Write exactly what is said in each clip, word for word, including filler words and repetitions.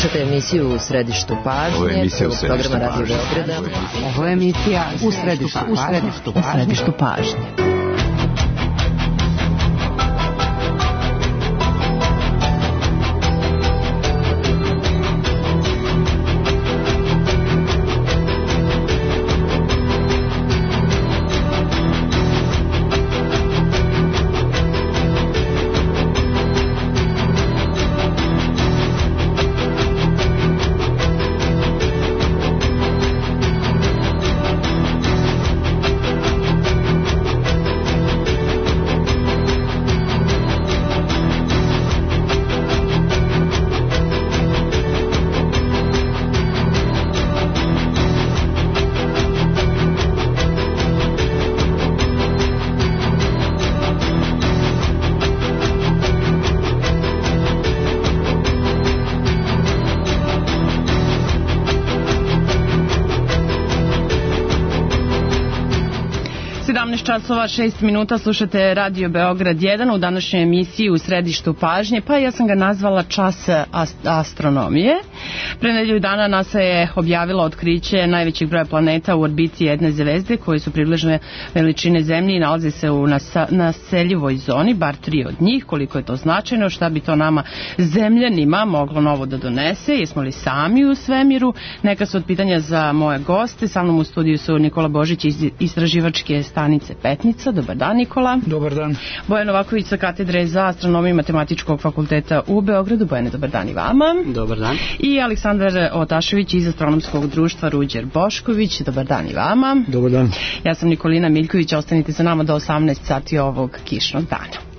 Slušajte emisiju U središtu pažnje. Ovo je emisija U središtu programa Radio Beograda. Ovo je emisija U središtu pažnje. U središtu pažnje. sedamnaest časova šest minuta, slušate Radio Beograd jedan u današnjoj emisiji U središtu pažnje, pa ja sam ga nazvala Čas astronomije. Pre nedelju dana NASA je objavila otkriće najvećeg broja planeta u orbiti jedne zvezde koje su približne veličine Zemlje i nalaze se u nasa, naseljivoj zoni, bar tri od njih. Koliko je to značajno, šta bi to nama zemljanima moglo novo da donese, jesmo li sami u svemiru? Neka su od pitanja za moje goste. Sa mnom u studiju su Nikola Božić iz istraživačke stanice Petnica. Dobar dan, Nikola. Dobar dan. Bojan Novaković sa katedre za astronomiju Matematičkog fakulteta u Beogradu. Bojane, dobar dan i vama. Dobar dan. I Aleksandar Otašević iz astronomskog društva Ruđer Bošković. Dobar dan i vama. Dobar dan. Ja sam Nikolina Miljković, ostanite sa nama do osamnaest sati ovog kišnog dana.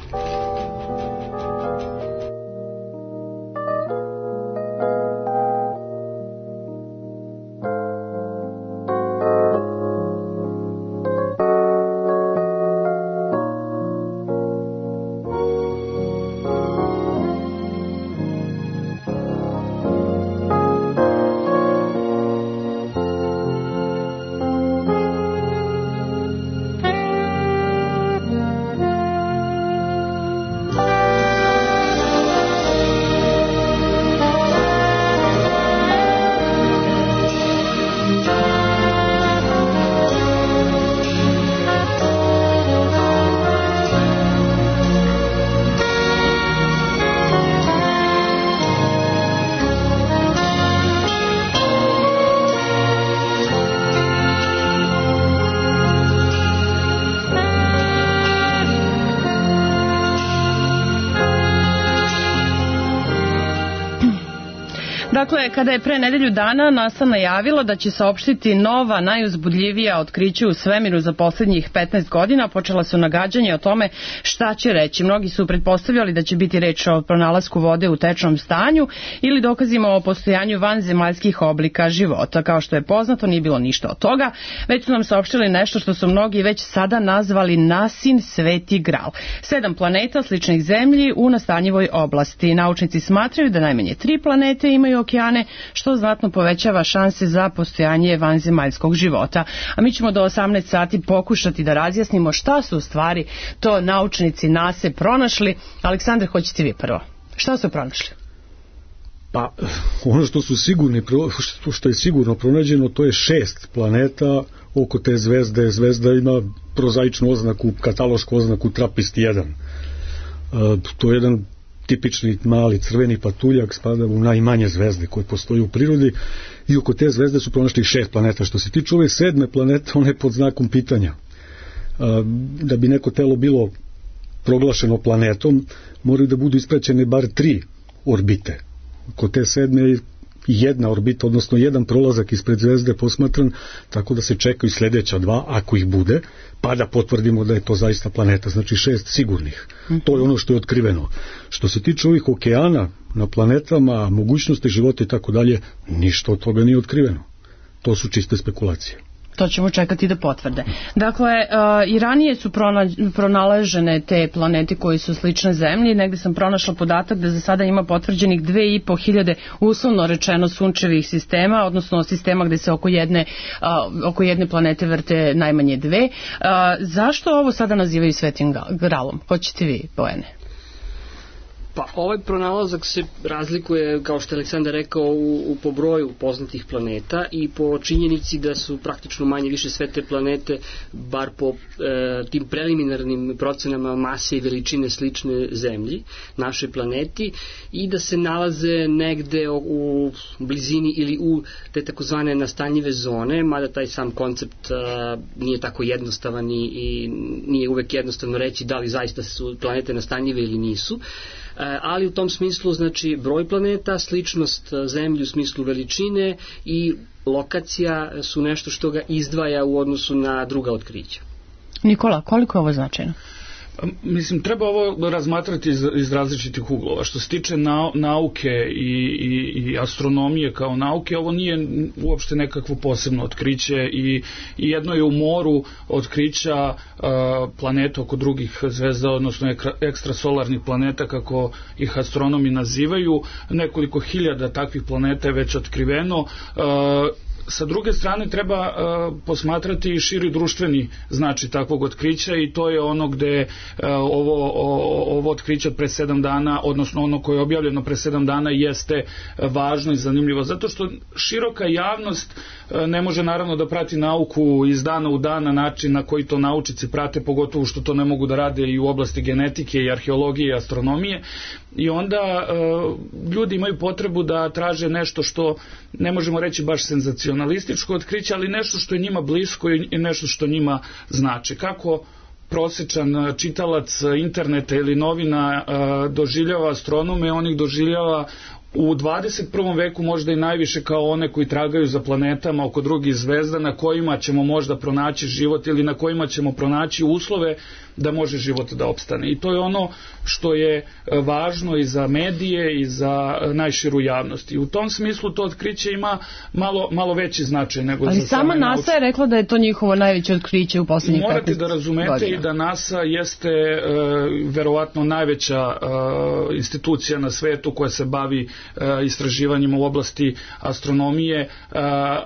Dakle, kada je pre nedelju dana NASA najavila da će saopštiti nova, najuzbudljivija otkrića u svemiru za poslednjih petnaest godina, počela su nagađanja o tome šta će reći. Mnogi su pretpostavljali da će biti reč o pronalasku vode u tečnom stanju ili dokazima o postojanju vanzemaljskih oblika života. Kao što je poznato, nije bilo ništa od toga, već su nam saopštili nešto što su mnogi već sada nazvali NASIN Sveti Gral. Sedam planeta sličnih Zemlji u nastanjivoj oblasti. Naučnici smatraju da najmanje tri planete imaju okeane, što znatno povećava šanse za postojanje vanzemaljskog života. A mi ćemo do osamnaest sati pokušati da razjasnimo šta su u stvari to naučnici NASA pronašli. Aleksandar, hoćete vi prvo. Šta su pronašli? Pa, ono što su sigurni, što je sigurno pronađeno, to je šest planeta oko te zvezde. Zvezda ima prozaičnu oznaku, katalošku oznaku Trapist jedan. To je jedan tipični mali crveni patuljak, spada u najmanje zvezde koje postoje u prirodi i oko te zvezde su pronašli šest planeta. Što se tiče ove sedme planete, ona je pod znakom pitanja. Da bi neko telo bilo proglašeno planetom, moraju da budu ispraćene bar tri orbite. Kod te sedme je jedna orbita, odnosno jedan prolazak ispred zvezde posmatran, tako da se čekaju sljedeća dva, ako ih bude, pa da potvrdimo da je to zaista planeta. Znači šest sigurnih. To je ono što je otkriveno. Što se tiče ovih okeana na planetama, mogućnosti života i tako dalje, ništa od toga nije otkriveno. To su čiste spekulacije. To ćemo čekati da potvrde. Dakle, uh, i ranije su pronalažene te planete koje su slične Zemlji. Negde sam pronašla podatak da za sada ima potvrđenih dve i po hiljade uslovno rečeno sunčevih sistema, odnosno sistema gde se oko jedne, uh, oko jedne planete vrte najmanje dve. Uh, zašto ovo sada nazivaju Svetim Gralom? Hoćete vi, Bojane? Pa ovaj pronalazak se razlikuje, kao što je Aleksandar rekao, u, u po broju poznatih planeta i po činjenici da su praktično manje više sve te planete, bar po e, tim preliminarnim procenama mase i veličine slične Zemlji, našoj planeti, i da se nalaze negde u, u blizini ili u te takozvane nastanjive zone, mada taj sam koncept a, nije tako jednostavan i, i nije uvek jednostavno reći da li zaista su planete nastanjive ili nisu. Ali u tom smislu, znači, broj planeta, sličnost Zemlji u smislu veličine i lokacija su nešto što ga izdvaja u odnosu na druga otkrića. Nikola, koliko je ovo značajno? Mislim, treba ovo razmatrati iz, iz različitih uglova. Što se tiče na, nauke i, i, i astronomije kao nauke, ovo nije uopšte nekakvo posebno otkriće i, i jedno je u moru otkrića uh, planeta oko drugih zvezda, odnosno ekra, ekstrasolarnih planeta, kako ih astronomi nazivaju. Nekoliko hiljada takvih planeta je već otkriveno. Uh, Sa druge strane treba uh, posmatrati i širi društveni značaj takvog otkrića i to je ono gde uh, ovo, o, ovo otkriće od pre sedam dana, odnosno ono koje je objavljeno pre sedam dana, jeste važno i zanimljivo, zato što široka javnost uh, ne može naravno da prati nauku iz dana u dan na način na koji to naučici prate, pogotovo što to ne mogu da rade i u oblasti genetike i arheologije i astronomije, i onda uh, ljudi imaju potrebu da traže nešto što ne možemo reći baš senzacionalističko otkriće, ali nešto što je njima blisko i nešto što njima znači. Kako prosječan čitalac interneta ili novina uh, doživljava astronome, on ih doživljava u dvadeset prvom veku možda i najviše kao one koji tragaju za planetama oko drugih zvezda na kojima ćemo možda pronaći život ili na kojima ćemo pronaći uslove da može život da opstane. I to je ono što je važno i za medije i za najširu javnost. I u tom smislu to otkriće ima malo, malo veći značaj nego ali za sama NASA nauč... je rekla da je to njihovo najveće otkriće u poslednjih petnaest godina. Morate da razumete i da NASA jeste e, verovatno najveća e, institucija na svetu koja se bavi e, istraživanjima u oblasti astronomije, e,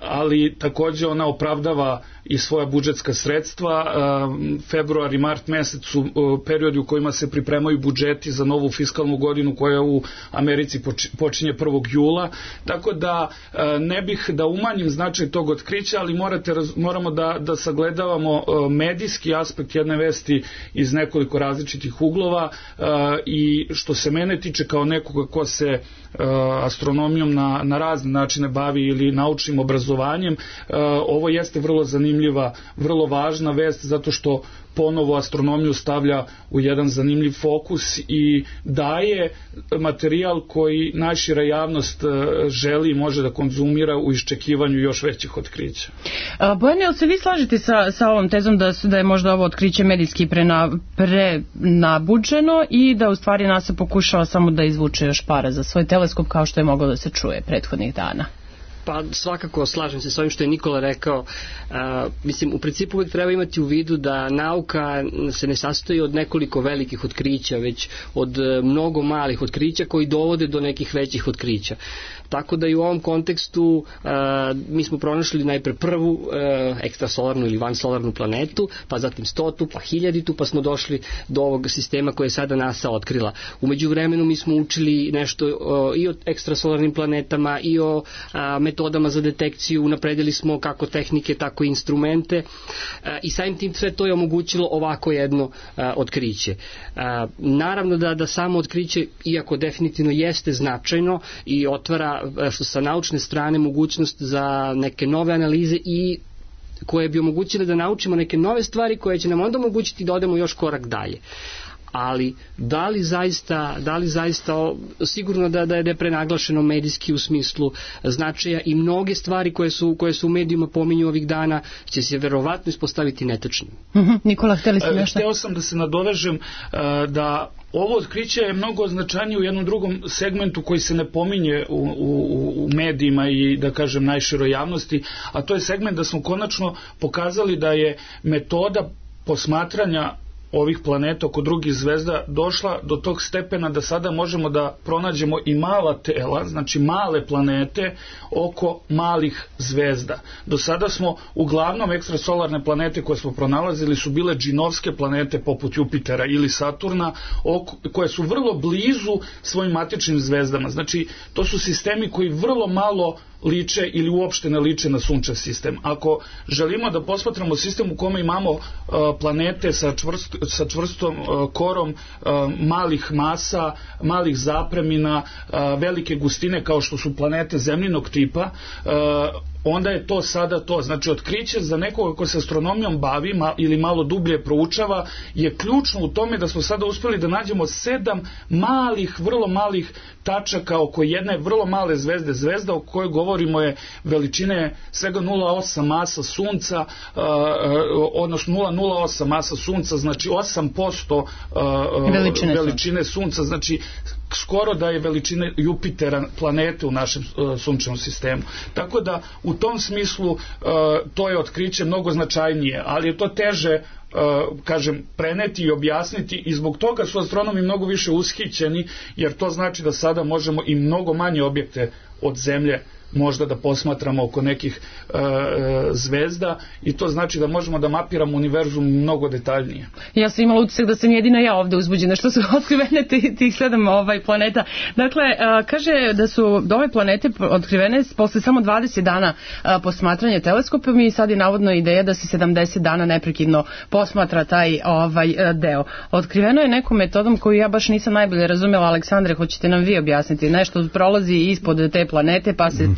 ali takođe ona opravdava i svoja budžetska sredstva. E, februar i mart mesec su e, periodi u kojima se pripremaju budžeti za novu fiskalnu godinu koja u Americi počinje prvog jula, tako da e, ne bih da umanjim značaj tog otkrića, ali morate, moramo da, da sagledavamo e, medijski aspekt jedne vesti iz nekoliko različitih uglova e, i što se mene tiče kao nekoga ko se e, astronomijom na, na razne načine bavi ili naučnim obrazovanjem, e, ovo jeste vrlo zanimljiva, vrlo važna vest, zato što ponovo astronomiju stavlja u jedan zanimljiv fokus i daje materijal koji najšira javnost želi i može da konzumira u iščekivanju još većih otkrića. Bojan, jel se vi slažete sa, sa ovom tezom da, da je možda ovo otkriće medijski prena, prenabuđeno i da u stvari NASA pokušava samo da izvuče još para za svoj teleskop, kao što je moglo da se čuje prethodnih dana? Pa svakako slažem se s ovim što je Nikola rekao. A, mislim, u principu uvijek treba imati u vidu da nauka se ne sastoji od nekoliko velikih otkrića, već od mnogo malih otkrića koji dovode do nekih većih otkrića. Tako da i u ovom kontekstu a, mi smo pronašli najpre prvu a, ekstrasolarnu ili vansolarnu planetu, pa zatim stotu, pa hiljaditu, pa smo došli do ovog sistema koje je sada NASA otkrila. U međuvremenu mi smo učili nešto a, i o ekstrasolarnim planetama i o a, metodama za detekciju, unapredili smo kako tehnike, tako i instrumente a, i samim tim sve to je omogućilo ovako jedno a, otkriće. A, naravno da, da samo otkriće, iako definitivno jeste značajno i otvara što sa naučne strane mogućnost za neke nove analize i koje bi omogućile da naučimo neke nove stvari koje će nam onda omogućiti da odemo još korak dalje. Ali da li zaista, da li zaista sigurno da, da je prenaglašeno medijski u smislu značaja i mnoge stvari koje su, koje su u medijima pominju ovih dana će se verovatno ispostaviti netačnim. Uh-huh. Nikola, hteli ste nešto? Hteo sam da se nadovežem da ovo otkriće je mnogo značajnije u jednom drugom segmentu koji se ne pominje u, u, u medijima i da kažem najširoj javnosti, a to je segment da smo konačno pokazali da je metoda posmatranja ovih planeta oko drugih zvezda došla do tog stepena da sada možemo da pronađemo i mala tela, znači male planete oko malih zvezda. Do sada smo uglavnom ekstrasolarne planete koje smo pronalazili su bile džinovske planete poput Jupitera ili Saturna, oko, koje su vrlo blizu svojim matičnim zvezdama. Znači, to su sistemi koji vrlo malo liče ili uopšte ne liče na sunčev sistem. Ako želimo da posmatramo sistem u kome imamo uh, planete sa, čvrst, sa čvrstom uh, korom, uh, malih masa, malih zapremina, uh, velike gustine kao što su planete zemljinog tipa, uh, onda je to sada to. Znači, otkriće za nekoga ko se astronomijom bavi ma, ili malo dublje proučava je ključno u tome da smo sada uspeli da nađemo sedam malih, vrlo malih tačaka oko jedne vrlo male zvezde. Zvezda o kojoj govorimo je veličine svega nula zarez osam masa Sunca, uh, odnosno nula zarez nula osam masa Sunca, znači osam posto uh, veličine, veličine Sunca, znači skoro da je veličine Jupitera, planete u našem uh, sunčevom sistemu. Tako da u tom smislu uh, to je otkriće mnogo značajnije, ali je to teže Uh, kažem, preneti i objasniti i zbog toga su astronomi mnogo više ushićeni, jer to znači da sada možemo i mnogo manje objekte od Zemlje možda da posmatramo oko nekih uh, zvezda i to znači da možemo da mapiramo univerzum mnogo detaljnije. Ja sam imala utisak da sam jedina ja ovde uzbuđena što su otkrivene tih, tih sedam ovaj, planeta. Dakle, uh, kaže da su ove planete otkrivene posle samo dvadeset dana uh, posmatranja teleskopom i sad je navodno ideja da se sedamdeset dana neprekidno posmatra taj ovaj uh, deo. Otkriveno je nekom metodom koju ja baš nisam najbolje razumela. Aleksandre, hoćete nam vi objasniti? Nešto prolazi ispod te planete pa se... Mm.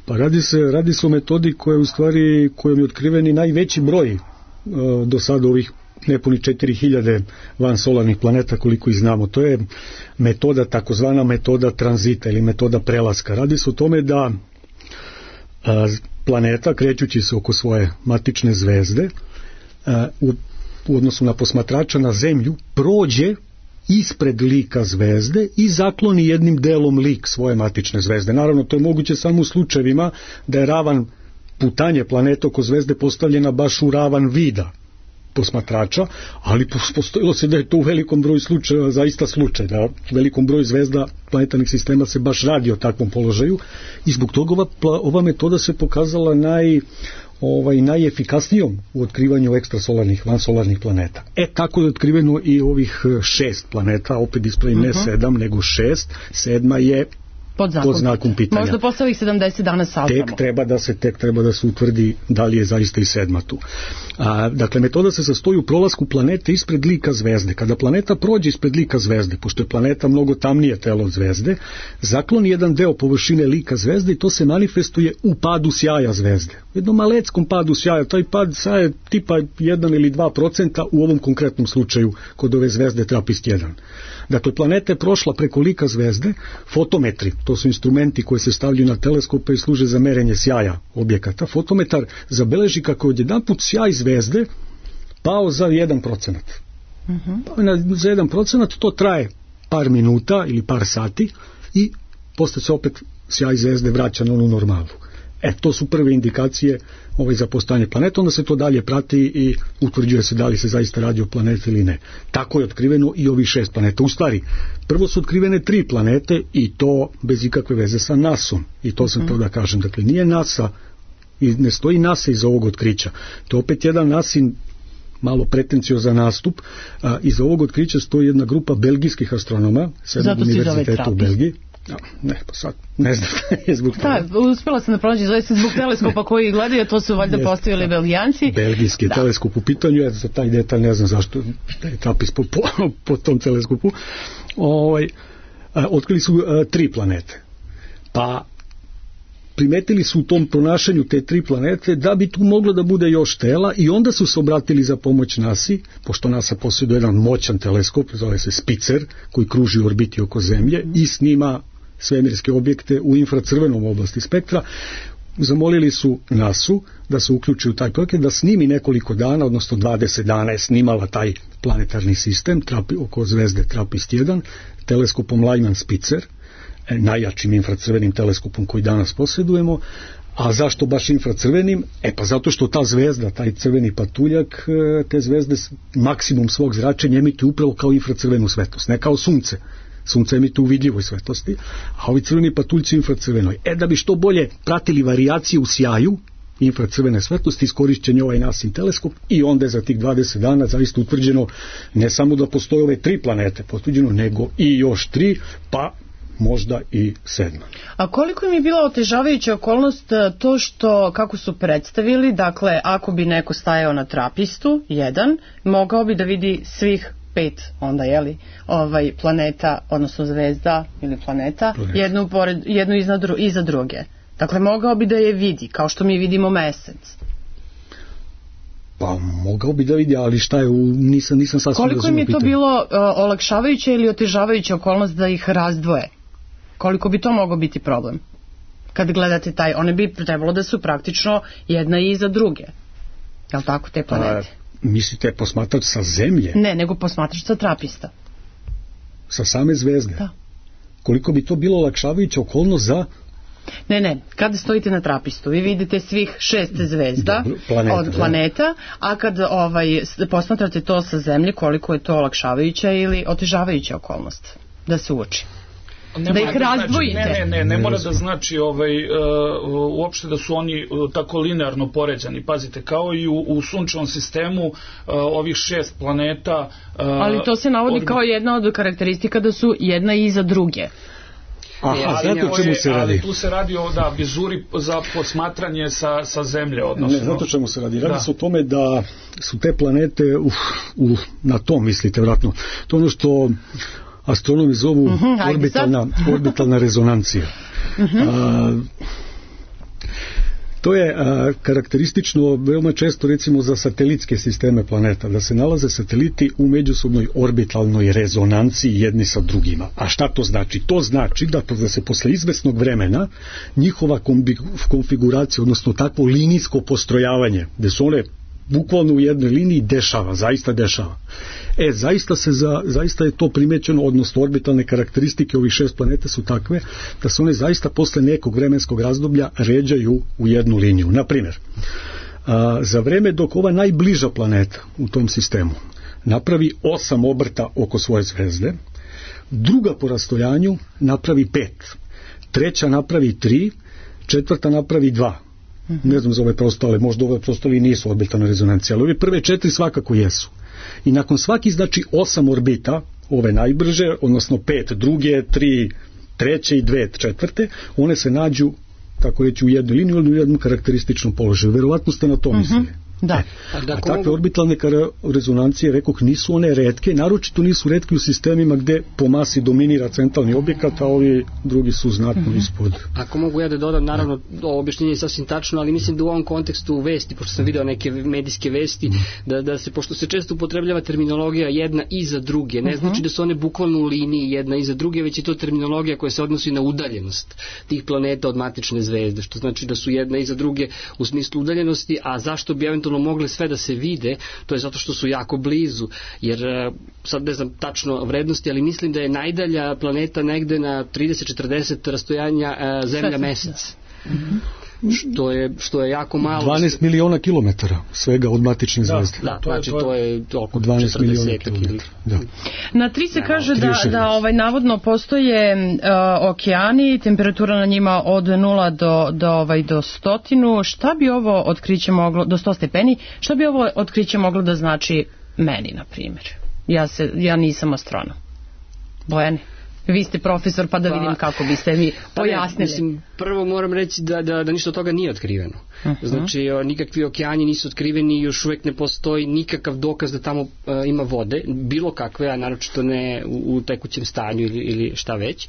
Pa radi se, radi se o metodi koja je u stvari, kojom je otkriveni najveći broj uh, do sada ovih nepuni četiri hiljade vansolarnih planeta koliko ih znamo. To je metoda, takozvana metoda tranzita ili metoda prelaska. Radi se o tome da uh, planeta, krećući se oko svoje matične zvezde, uh, u, u odnosu na posmatrača na Zemlju, prođe ispred lika zvezde i zakloni jednim delom lik svoje matične zvezde. Naravno, to je moguće samo u slučajevima da je ravan putanje planeta oko zvezde postavljena baš u ravan vida posmatrača, ali postojilo se da je to u velikom broju slučajeva zaista slučaj, da u velikom broju zvezda planetarnih sistema se baš radi o takvom položaju i zbog toga ova, ova metoda se pokazala naj ovaj, najefikasnijom u otkrivanju ekstrasolarnih, vansolarnih planeta. E, tako je otkriveno i ovih šest planeta, opet ispravim ne uh-huh. sedam, nego šest. Sedma je pod, pod znakom pitanja. Možda posle ovih sedamdeset dana saznamo. Tek treba da se, tek treba da se utvrdi da li je zaista i sedma tu. A, dakle, metoda se sastoji u prolasku planete ispred lika zvezde. Kada planeta prođe ispred lika zvezde, pošto je planeta mnogo tamnije telo od zvezde, zakloni jedan deo površine lika zvezde i to se manifestuje u padu sjaja zvezde. U jednom maleckom padu sjaja, taj pad sjaja je tipa jedan ili dva procenta u ovom konkretnom slučaju kod ove zvezde Trapist jedan. Dakle, planeta je prošla preko lika zvezde, fotometri, to su instrumenti koji se stavljaju na teleskope i služe za merenje sjaja objekata. Fotometar zabeleži kako je odjedanput sjaj zvezde pao za jedan procenat. Uh-huh. Pao na, za jedan procenat, to traje par minuta ili par sati i posle se opet sjaj zvezde vraća na onu normalu. E, to su prve indikacije ovaj, za postojanje planeta, onda se to dalje prati i utvrđuje se da li se zaista radi o planeti ili ne. Tako je otkriveno i ovih šest planeta. U stvari, prvo su otkrivene tri planete i to bez ikakve veze sa nasom. I to sam mm. to da kažem. Dakle, nije NASA, i ne stoji NASA iza ovog otkrića. To je opet jedan nasin malo pretenciozan nastup. A, iza ovog otkrića stoji jedna grupa belgijskih astronoma sa jednog univerziteta u Belgiji. No, ne, pa sad, ne znam je zbog toga. Da, uspjela sam da pronađi, zove se zbog teleskopa koji gledaju, to su valjda postavili Belgijanci. Belgijski da. teleskop u pitanju, ja za taj detalj ne znam zašto je Trapist po, po, po tom teleskopu. Ovaj, a, otkrili su a, tri planete. Pa primetili su u tom pronašanju te tri planete da bi tu moglo da bude još tela i onda su se obratili za pomoć nasi, pošto NASA posjeduje jedan moćan teleskop, zove se Spitzer, koji kruži u orbiti oko Zemlje i snima svemirske objekte u infracrvenom oblasti spektra. Zamolili su nasu da se uključi u taj projekat, da snimi nekoliko dana, odnosno dvadeset dana je snimala taj planetarni sistem trapi, oko zvezde Trapist jedan, teleskopom Lyman Spitzer, najjačim infracrvenim teleskopom koji danas posjedujemo, A zašto baš infracrvenim? E pa zato što ta zvezda, taj crveni patuljak, te zvezde maksimum svog zračenja emituju upravo kao infracrvenu svetlost, ne kao sunce. Sunce emituje u vidljivoj svetlosti, a ovi crveni patuljci u infracrvenoj. E da bi što bolje pratili varijacije u sjaju infracrvene svetlosti, iskorišćen je ovaj nasin teleskop i onda je za tih dvadeset dana zaista utvrđeno ne samo da postoje ove tri planete potvrđeno, nego i još tri, pa možda i sedma. A koliko im je bila otežavajuća okolnost to što, kako su predstavili, dakle, ako bi neko stajao na trapistu, jedan, mogao bi da vidi svih pet onda, jeli, ovaj, planeta, odnosno zvezda ili planeta, planeta. jednu, pored, jednu iza, dru, iza druge. Dakle, mogao bi da je vidi, kao što mi vidimo mesec. Pa, mogao bi da vidi, ali šta je, nisam, nisam sasvim razumio. Koliko im je to bilo uh, olakšavajuća ili otežavajuća okolnost da ih razdvoje? Koliko bi to mogao biti problem? Kad gledate taj, one bi trebalo da su praktično jedna iza druge. Je li tako, te planete? A, mislite posmatrač sa zemlje? Ne, nego posmatrač sa trapista. Sa same zvezde? Da. Koliko bi to bilo olakšavajuća okolnost za... Ne, ne, kada stojite na trapistu, vi vidite svih šest zvezda. Dobro, planeta, od planeta, da. A kad ovaj, posmatrate to sa zemlje, koliko je to olakšavajuća ili otežavajuća okolnost da se uči? Ne da ih razdvojite. Znači, ne, ne, ne, ne mora da znači ovaj, uh, uopšte da su oni uh, tako linearno poređani. Pazite, kao i u, u sunčevom sistemu uh, ovih šest planeta... Uh, ali to se navodi orbi... kao jedna od karakteristika da su jedna iza druge. Aha, znate o čemu se radi? Ali tu se radi o da, vizuri za posmatranje sa, sa zemlje. Odnosno. Ne, znate o čemu se radi? Radi da. se o tome da su te planete, uh, uh, na to mislite vratno, to ono što astronomi zovu uh-huh, orbitalna, orbitalna rezonancija. Uh-huh. A, to je a, karakteristično veoma često recimo za satelitske sisteme planeta, da se nalaze sateliti u međusobnoj orbitalnoj rezonanciji jedni sa drugima. A šta to znači? To znači da, da se posle izvesnog vremena njihova kombi, konfiguracija, odnosno takvo linijsko postrojavanje, gde su one bukvalno u jednoj liniji, dešava, zaista dešava. E, zaista, se za, zaista je to primećeno, odnosno orbitalne karakteristike ovih šest planeta su takve da se one zaista posle nekog vremenskog razdoblja ređaju u jednu liniju. Naprimjer, a, za vreme dok ova najbliža planeta u tom sistemu napravi osam obrta oko svoje zvezde, druga po rastojanju napravi pet, treća napravi tri, četvrta napravi dva. Ne znam za ove preostale, možda ove preostale nisu orbitalne rezonancije, ali ove prve četiri svakako jesu. I nakon svaki, znači, osam orbita, ove najbrže, odnosno pet druge, tri treće i dve četvrte, one se nađu, tako reći, u jednoj liniji ili u jednom karakterističnom položaju. Verovatno ste na to mislili. Uh-huh. Da. A, a takve orbitalne rezonancije, rekoh, nisu one retke, naročito nisu retke u sistemima gde po masi dominira centralni objekat, a ovi drugi su znatno mm-hmm. ispod. Ako mogu ja da dodam, naravno, ovo objašnjenje je sasvim tačno, ali mislim da u ovom kontekstu vesti, pošto sam video neke medijske vesti, da, da se, pošto se često upotrebljava terminologija jedna iza druge, ne znači da su one bukvalno u liniji jedna iza druge, već je to terminologija koja se odnosi na udaljenost tih planeta od matične zvezde, što znači da su jedna iza druge u smislu udaljenosti, a zašto bi eventualno mogle sve da se vide, to je zato što su jako blizu, jer sad ne znam tačno vrednosti, ali mislim da je najdalja planeta negde na trideset četrdeset rastojanja Zemlja Mesec. Mm-hmm. Što je, što je jako malo. dvanaest miliona kilometara svega od matične zvezde. Da, da, znači to je oko dvanaest miliona kilometara. Da. Na tri se kaže da, da ovaj, navodno postoje uh, okeani, temperatura na njima od nula do, do, ovaj, do stotinu. Šta bi ovo otkriće moglo, do sto stepeni, šta bi ovo otkriće moglo da znači meni, na primjer? Ja, se, ja nisam astronom. Bojani? Vi ste profesor, pa da vidim pa, kako biste mi pojasnili. Pa ne, mislim, prvo moram reći da, da, da ništa od toga nije otkriveno. Uh-huh. Znači, o, nikakvi okeani nisu otkriveni, još uvijek ne postoji nikakav dokaz da tamo uh, ima vode, bilo kakve, a naročito ne u, u tekućem stanju ili, ili šta već.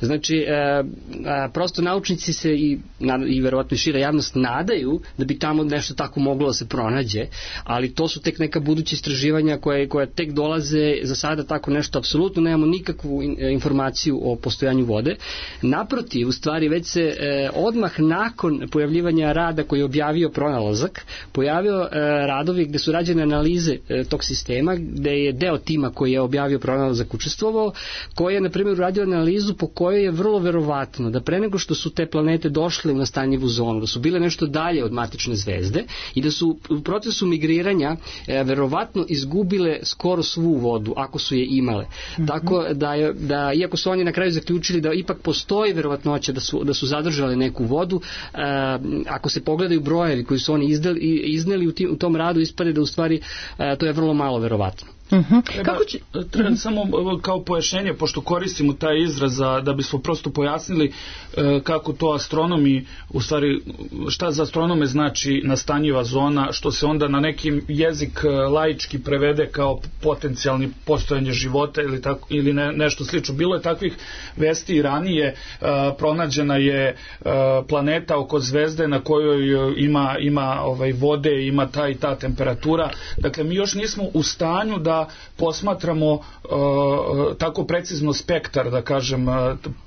Znači, uh, uh, prosto naučnici se i, na, i verovatno i šira javnost nadaju da bi tamo nešto tako moglo da se pronađe, ali to su tek neka buduća istraživanja koje, koje tek dolaze, za sada tako nešto apsolutno nemamo nikakvu in, informaciju informaciju o postojanju vode. Naprotiv, u stvari već se e, odmah nakon pojavljivanja rada koji je objavio pronalazak, pojavio e, radovi gde su rađene analize e, tog sistema, gde je deo tima koji je objavio pronalazak učestvovao, koji je, na primjer, uradio analizu po kojoj je vrlo verovatno da pre nego što su te planete došle u nastanjivu zonu, da su bile nešto dalje od matične zvezde i da su u procesu migriranja e, verovatno izgubile skoro svu vodu, ako su je imale. Mm-hmm. Tako da, je, da, iako su oni na kraju zaključili da ipak postoji verovatnoća da su, da su zadržale neku vodu, e, ako se pogledaju brojevi koji su oni izdali, izneli u, tim, u tom radu, ispade da u stvari e, to je vrlo malo verovatno. Uh-huh. Treba, Kako će... treba uh-huh. samo kao pojašnjenje, pošto koristimo taj izraz za, da bismo prosto pojasnili e, kako to astronomi, u stvari šta za astronome znači nastanjiva zona, što se onda na neki jezik laički prevede kao potencijalni postojanje života ili, tako, ili ne, nešto slično. Bilo je takvih vesti i ranije, e, pronađena je e, planeta oko zvezde na kojoj ima, ima ovaj, vode, ima ta i ta temperatura. Dakle, mi još nismo u stanju da posmatramo uh, tako precizno spektar, da kažem,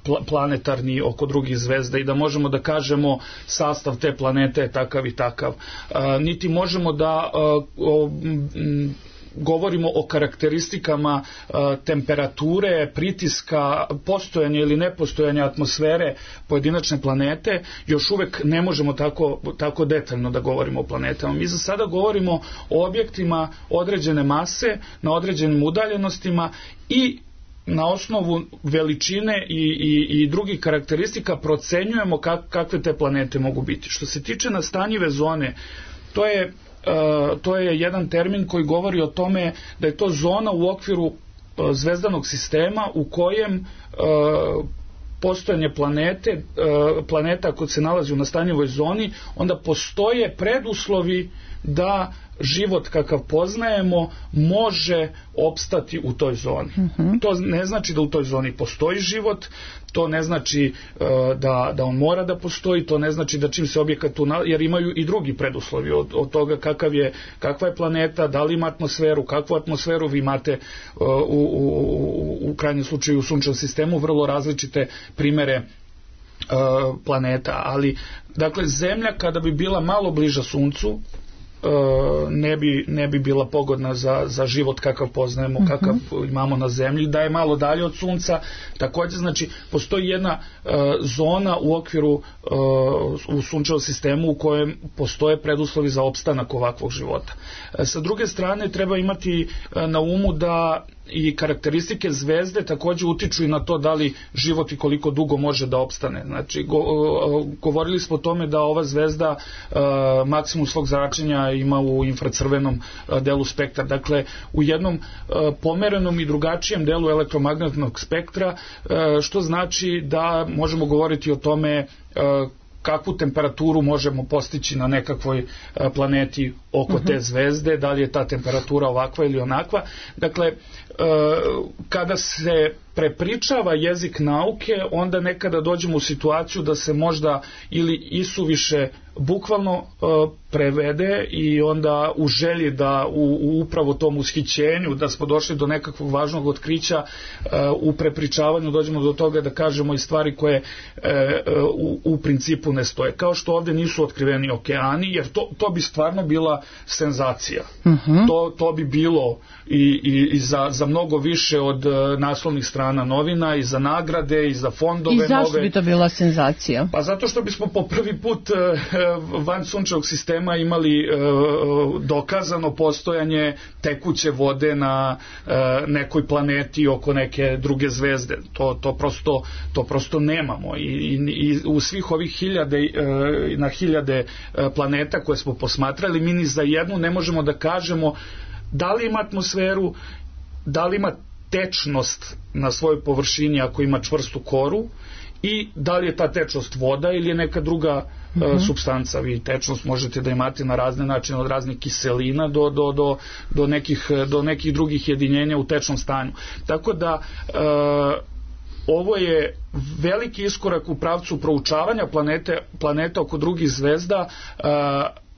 pl- planetarni oko drugih zvezda i da možemo da kažemo sastav te planete je takav i takav. Uh, niti možemo da uh, o, m, govorimo o karakteristikama uh, temperature, pritiska, postojanja ili nepostojanja atmosfere pojedinačne planete, još uvek ne možemo tako, tako detaljno da govorimo o planetama. Mi za sada govorimo o objektima određene mase, na određenim udaljenostima i na osnovu veličine i, i, i drugih karakteristika procenjujemo kak, kakve te planete mogu biti. Što se tiče nastanjive zone, to je Uh, to je jedan termin koji govori o tome da je to zona u okviru uh, zvezdanog sistema u kojem uh, postojanje planete, uh, planeta ako se nalazi u nastanjivoj zoni, onda postoje preduslovi da život kakav poznajemo može opstati u toj zoni. Mm-hmm. To ne znači da u toj zoni postoji život, to ne znači uh, da, da on mora da postoji, to ne znači da čim se objekat tu, jer imaju i drugi preduslovi od, od toga kakav je, kakva je planeta, da li ima atmosferu, kakvu atmosferu vi imate uh, u, u, u krajnjem slučaju u sunčevom sistemu, vrlo različite primere uh, planeta, ali dakle Zemlja kada bi bila malo bliža Suncu, ne bi, ne bi bila pogodna za, za život kakav poznajemo, kakav uh-huh. imamo na zemlji, da je malo dalje od sunca. Također, znači, postoji jedna uh, zona u okviru uh, u sunčevom sistemu u kojem postoje preduslovi za opstanak ovakvog života. Uh, sa druge strane, treba imati uh, na umu da i karakteristike zvezde također utiču i na to da li život i koliko dugo može da opstane. Znači, go, govorili smo o tome da ova zvezda uh, maksimum svog zračenja ima u infracrvenom uh, delu spektra. Dakle, u jednom uh, pomerenom i drugačijem delu elektromagnetnog spektra, uh, što znači da možemo govoriti o tome uh, kakvu temperaturu možemo postići na nekakvoj planeti oko uh-huh. te zvezde, da li je ta temperatura ovakva ili onakva. Dakle, kada se prepričava jezik nauke, onda nekada dođemo u situaciju da se možda ili isuviše bukvalno prevede i onda u želji da u, u upravo tom ushićenju da smo došli do nekakvog važnog otkrića, u prepričavanju dođemo do toga da kažemo i stvari koje u, u principu ne stoje. Kao što ovdje nisu otkriveni okeani, jer to, to bi stvarno bila senzacija. Uh-huh. To, to bi bilo i, i, i za, za mnogo više od naslovnih strana novina i za nagrade i za fondove. I zašto nove. Bi to bila senzacija? Pa zato što bismo po prvi put van sunčevog sistema imali dokazano postojanje tekuće vode na nekoj planeti oko neke druge zvezde. To, to, prosto, to prosto nemamo. I, i, i u svih ovih hiljade, na hiljade planeta koje smo posmatrali, mi ni za jednu ne možemo da kažemo da li ima atmosferu, da li ima tečnost na svojoj površini ako ima čvrstu koru i da li je ta tečnost voda ili je neka druga mm-hmm. uh, supstanca. Vi tečnost možete da imate na razne načine, od raznih kiselina do, do, do, do, nekih, do nekih drugih jedinjenja u tečnom stanju. Tako da uh, ovo je veliki iskorak u pravcu proučavanja planete, planeta oko drugih zvezda, uh,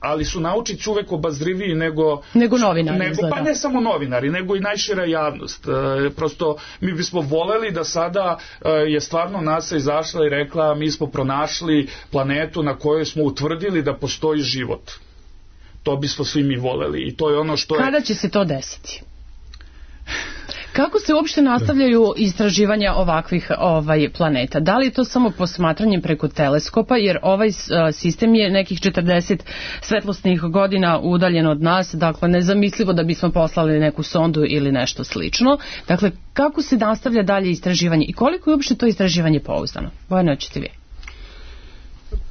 ali su naučici uvek obazriviji nego... Nego novinari. Nego, pa ne samo novinari, nego i najšira javnost. E, prosto mi bismo voleli da sada e, je stvarno NASA izašla i rekla mi smo pronašli planetu na kojoj smo utvrdili da postoji život. To bismo svi mi voleli i to je ono što je... Kada će se to desiti? Kako se uopšte nastavljaju istraživanja ovakvih ovaj planeta? Da li je to samo posmatranjem preko teleskopa, jer ovaj sistem je nekih četrdeset svetlosnih godina udaljen od nas, dakle nezamislivo da bismo poslali neku sondu ili nešto slično. Dakle, kako se nastavlja dalje istraživanje i koliko je uopšte to istraživanje pouzdano? Bojana, hoćete vi?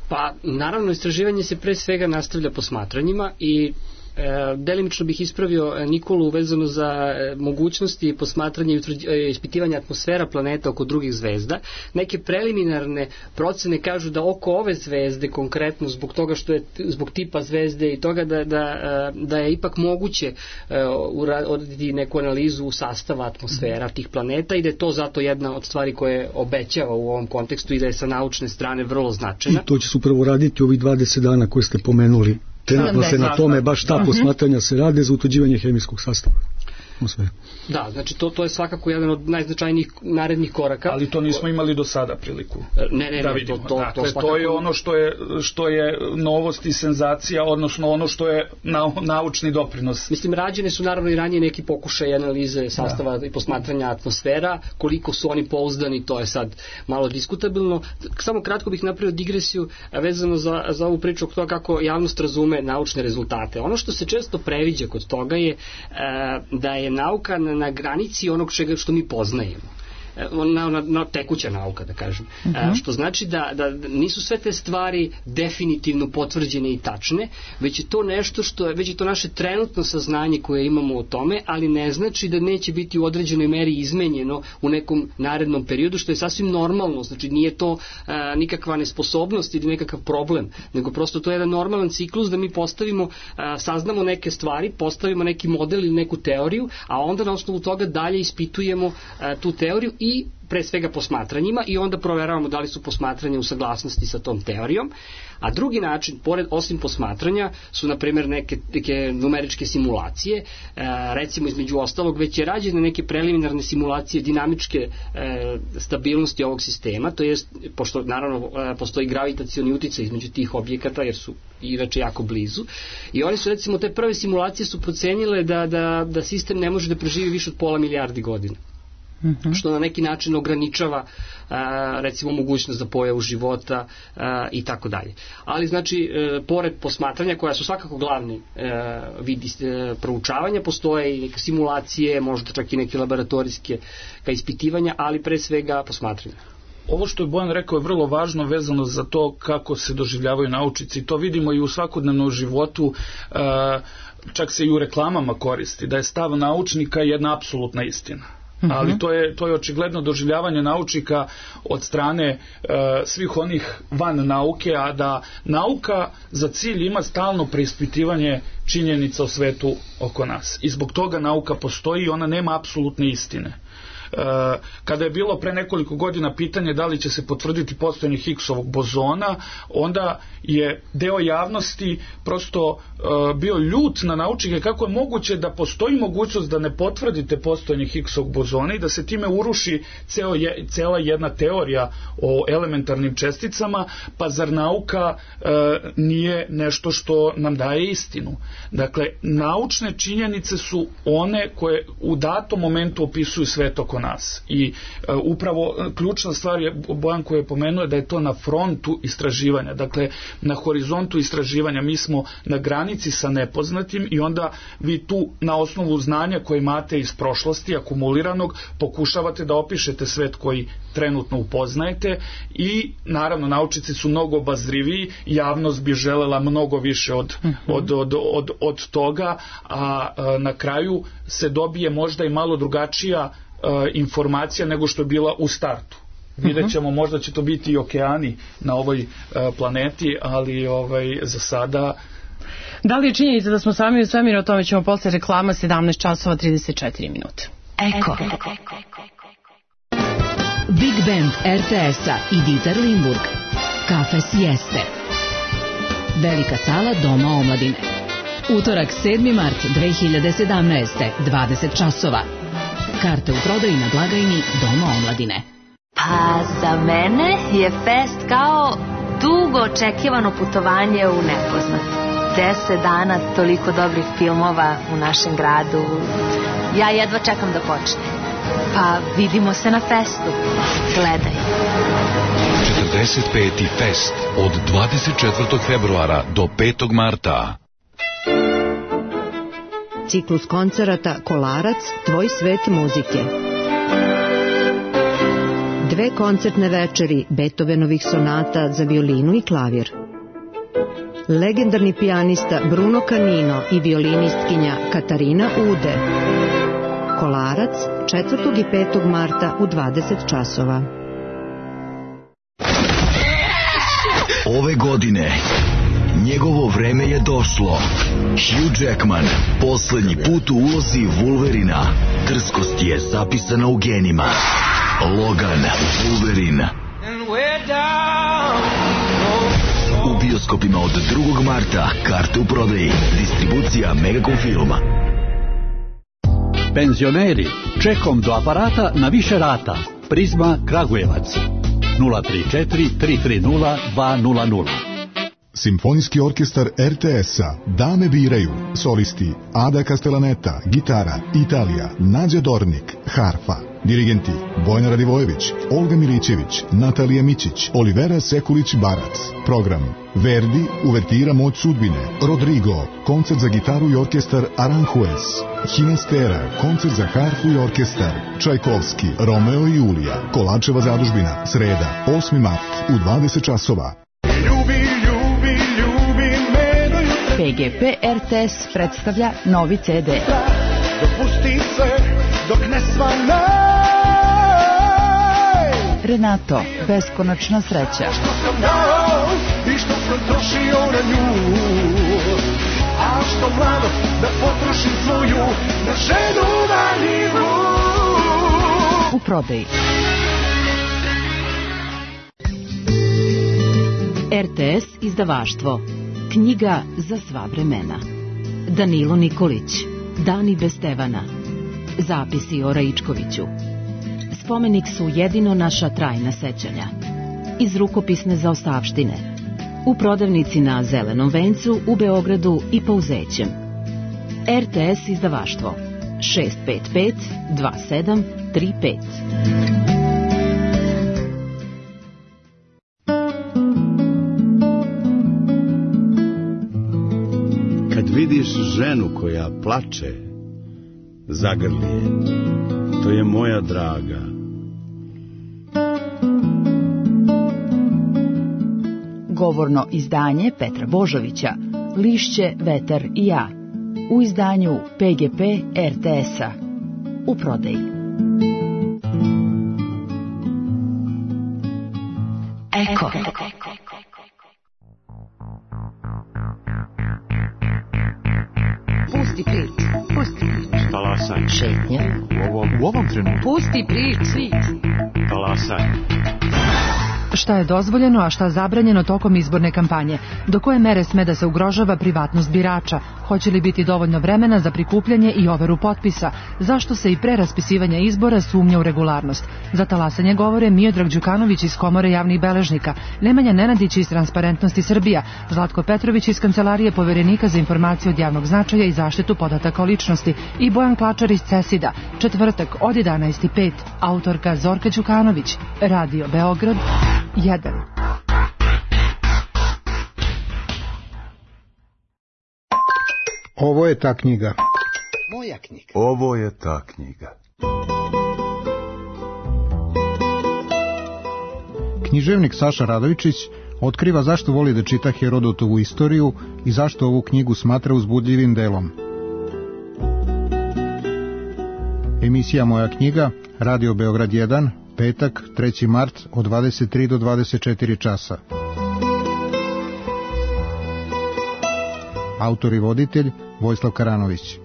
Pa, naravno, istraživanje se pre svega nastavlja posmatranjima i E, delimično bih ispravio Nikolu vezano za e, mogućnosti posmatranja i e, ispitivanja atmosfera planeta oko drugih zvezda. Neke preliminarne procene kažu da oko ove zvezde konkretno zbog toga što je zbog tipa zvezde i toga da, da, da je ipak moguće e, uraditi neku analizu sastava atmosfera tih planeta i da je to zato jedna od stvari koje obećava u ovom kontekstu i da je sa naučne strane vrlo značajna. I to će se upravo raditi ovih dvadeset dana koje ste pomenuli. Trenutno se na tome baš ta posmatranja se rade za utvrđivanje hemijskog sastava. Da, znači to, to je svakako jedan od najznačajnijih narednih koraka. Ali to nismo imali do sada priliku ne, ne, da ne, vidimo. To, to, dakle, to, svakako... to je ono što je, što je novost i senzacija, odnosno ono što je na, naučni doprinos. Mislim, rađene su naravno i ranije neki pokušaj analize sastava da. i posmatranja atmosfera, koliko su oni pouzdani, to je sad malo diskutabilno. Samo kratko bih napravio digresiju vezano za, za ovu priču o toga kako javnost razume naučne rezultate. Ono što se često previđa kod toga je da je nauka na, na granici onog čega što mi poznajemo. Na, na, na tekuća nauka, da kažem. Uh-huh. Što znači da, da nisu sve te stvari definitivno potvrđene i tačne, već je to nešto što je, već je to naše trenutno saznanje koje imamo o tome, ali ne znači da neće biti u određenoj meri izmenjeno u nekom narednom periodu, što je sasvim normalno, znači nije to a, nikakva nesposobnost ili nekakav problem, nego prosto to je jedan normalan ciklus da mi postavimo, a, saznamo neke stvari, postavimo neki model ili neku teoriju, a onda na osnovu toga dalje ispitujemo a, tu teoriju i pre svega posmatranjima i onda proveravamo da li su posmatranja u saglasnosti sa tom teorijom. A drugi način, pored osim posmatranja, su na primjer neke, neke numeričke simulacije, e, recimo između ostalog već je rađene neke preliminarne simulacije dinamičke e, stabilnosti ovog sistema, to jest, pošto naravno e, postoji gravitacioni uticaj između tih objekata jer su inače jako blizu, i oni su recimo te prve simulacije su procenile da, da, da sistem ne može da preživi više od pola milijardi godina. Uh-huh. Što na neki način ograničava a, recimo mogućnost za pojavu života a, i tako dalje. Ali znači e, pored posmatranja koja su svakako glavni e, vidi e, proučavanja, postoje i neke simulacije, možda čak i neke laboratorijske ispitivanja, ali pre svega posmatranja. Ovo što je Bojan rekao je vrlo važno vezano za to kako se doživljavaju naučnici. To vidimo i u svakodnevnom životu, e, čak se i u reklamama koristi, da je stav naučnika jedna apsolutna istina. Ali to je, to je očigledno doživljavanje naučnika od strane e, svih onih van nauke, a da nauka za cilj ima stalno preispitivanje činjenica o svetu oko nas. I zbog toga nauka postoji i ona nema apsolutne istine. Kada je bilo pre nekoliko godina pitanje da li će se potvrditi postojanje Higgsovog bozona, onda je deo javnosti prosto bio ljut na naučnike kako je moguće da postoji mogućnost da ne potvrdite postojanje Higgsovog bozona i da se time uruši ceo je, cela jedna teorija o elementarnim česticama, pa zar nauka e, nije nešto što nam daje istinu. Dakle, naučne činjenice su one koje u datom momentu opisuju svet oko nas. I e, upravo ključna stvar je, Bojan koji je pomenuo, da je to na frontu istraživanja, dakle na horizontu istraživanja. Mi smo na granici sa nepoznatim i onda vi tu na osnovu znanja koje imate iz prošlosti, akumuliranog, pokušavate da opišete svet koji trenutno upoznajete i naravno naučnici su mnogo obazriviji, javnost bi želela mnogo više od, uh-huh. od, od, od, od toga, a, a na kraju se dobije možda i malo drugačija a, informacija nego što je bila u startu. Vidjet ćemo, možda će to biti i okeani na ovoj a, planeti, ali ovaj, za sada... Da li je činjenica da smo sami u svemiru, o tome ćemo posle reklama, sedamnaest časova trideset četiri minute. Eko. Big Band er te es-a i Dieter Limburg. Kafe Sieste. Velika sala Doma omladine. Utorak sedmi mart dve hiljade sedamnaeste. dvadeset časova. Karte u prodaji na blagajni Doma omladine. Pa za mene je fest kao dugo očekivano putovanje u nepoznat. Deset dana, toliko dobrih filmova u našem gradu. Ja jedva čekam da počne. Pa vidimo se na festu. Gledaj. četrdeset peti fest od dvadeset četvrtog februara do petog marta. Ciklus koncerata Kolarac, tvoj svet muzike. Dve koncertne večeri Beethovenovih sonata za violinu i klavir. Legendarni pijanista Bruno Canino i violinistkinja Katarina Ude. Kolarac, četvrtog i petog marta u dvadeset časova. Ove godine njegovo vreme je došlo. Hugh Jackman, poslednji put u ulozi Wolverina. Drskost je zapisana u genima. Logan, Wolverine. U bioskopima od drugog marta. Karte u prodaji. Distribucija Megacom Filma. Penzioneri, čekom do aparata na više rata. Prizma Kragujevac. nula tri četiri tri tri nula dva nula nula. Simfonijski orkestar er te es-a Dame biraju. Solisti Ada Castellaneta, gitara Italija, Nađa Dornik, harfa. Dirigenti Bojana Radivojević, Olga Milićević, Natalija Mićić, Olivera Sekulić-Barac. Program Verdi, uvertira Moć sudbine. Rodrigo, koncert za gitaru i orkestar Aranjuez. Hinastera, koncert za harfu i orkestar. Čajkovski, Romeo i Julija. Kolačeva zadužbina, sreda, osmi mart u dvadeset časova. Ljubi, ljubi, ljubi me do jutra. P G P er te es predstavlja novi ce de. Dopusti se dok ne svanaj. Renato, beskonačna sreća. Što sam dao i što sam trošio na nju. A što mlado da potrošim svoju na ženu valjivu. U prodaji. er te es izdavaštvo. Knjiga za sva vremena. Danilo Nikolić. Dani bez Stevana. Zapisi o Raičkoviću. Spomenik su jedino naša trajna sećanja. Iz rukopisne zaostavštine. U prodavnici na Zelenom vencu u Beogradu i Pauzećem. er te es izdavaštvo. šest pet pet dva sedam tri pet. Kad vidiš ženu koja plače, zagrli je. To je moja draga. Govorno izdanje Petra Božovića, Lišće, vetar i ja. U izdanju P G P er te es-a. U prodaji. Eko. Pusti priču, pusti priču. Talasaj. Šetnja. U ovom, u ovom trenutku. Pusti priču. Talasaj. Šta je dozvoljeno, a šta zabranjeno tokom izborne kampanje? Do koje mere sme da se ugrožava privatnost birača? Hoće li biti dovoljno vremena za prikupljanje i overu potpisa? Zašto se i pre raspisivanja izbora sumnja u regularnost? Za talasanje govore Miodrag Đukanović iz Komore javnih beležnika, Nemanja Nenadić iz Transparentnosti Srbija, Zlatko Petrović iz Kancelarije poverenika za informacije od javnog značaja i zaštitu podataka o ličnosti i Bojan Klačar iz Cesida. Četvrtak od jedanaest i pet. Autorka Zorka Đukanović. Radio Beograd jedan. Ovo je ta knjiga. Moja knjiga. Ovo je ta knjiga. Književnik Saša Radovičić otkriva zašto voli da čita Herodotovu istoriju i zašto ovu knjigu smatra uzbudljivim delom. Emisija Moja knjiga, Radio Beograd jedan, petak, treći mart od dvadeset tri do dvadeset četiri časa. Autor i voditelj Vojislav Karanović.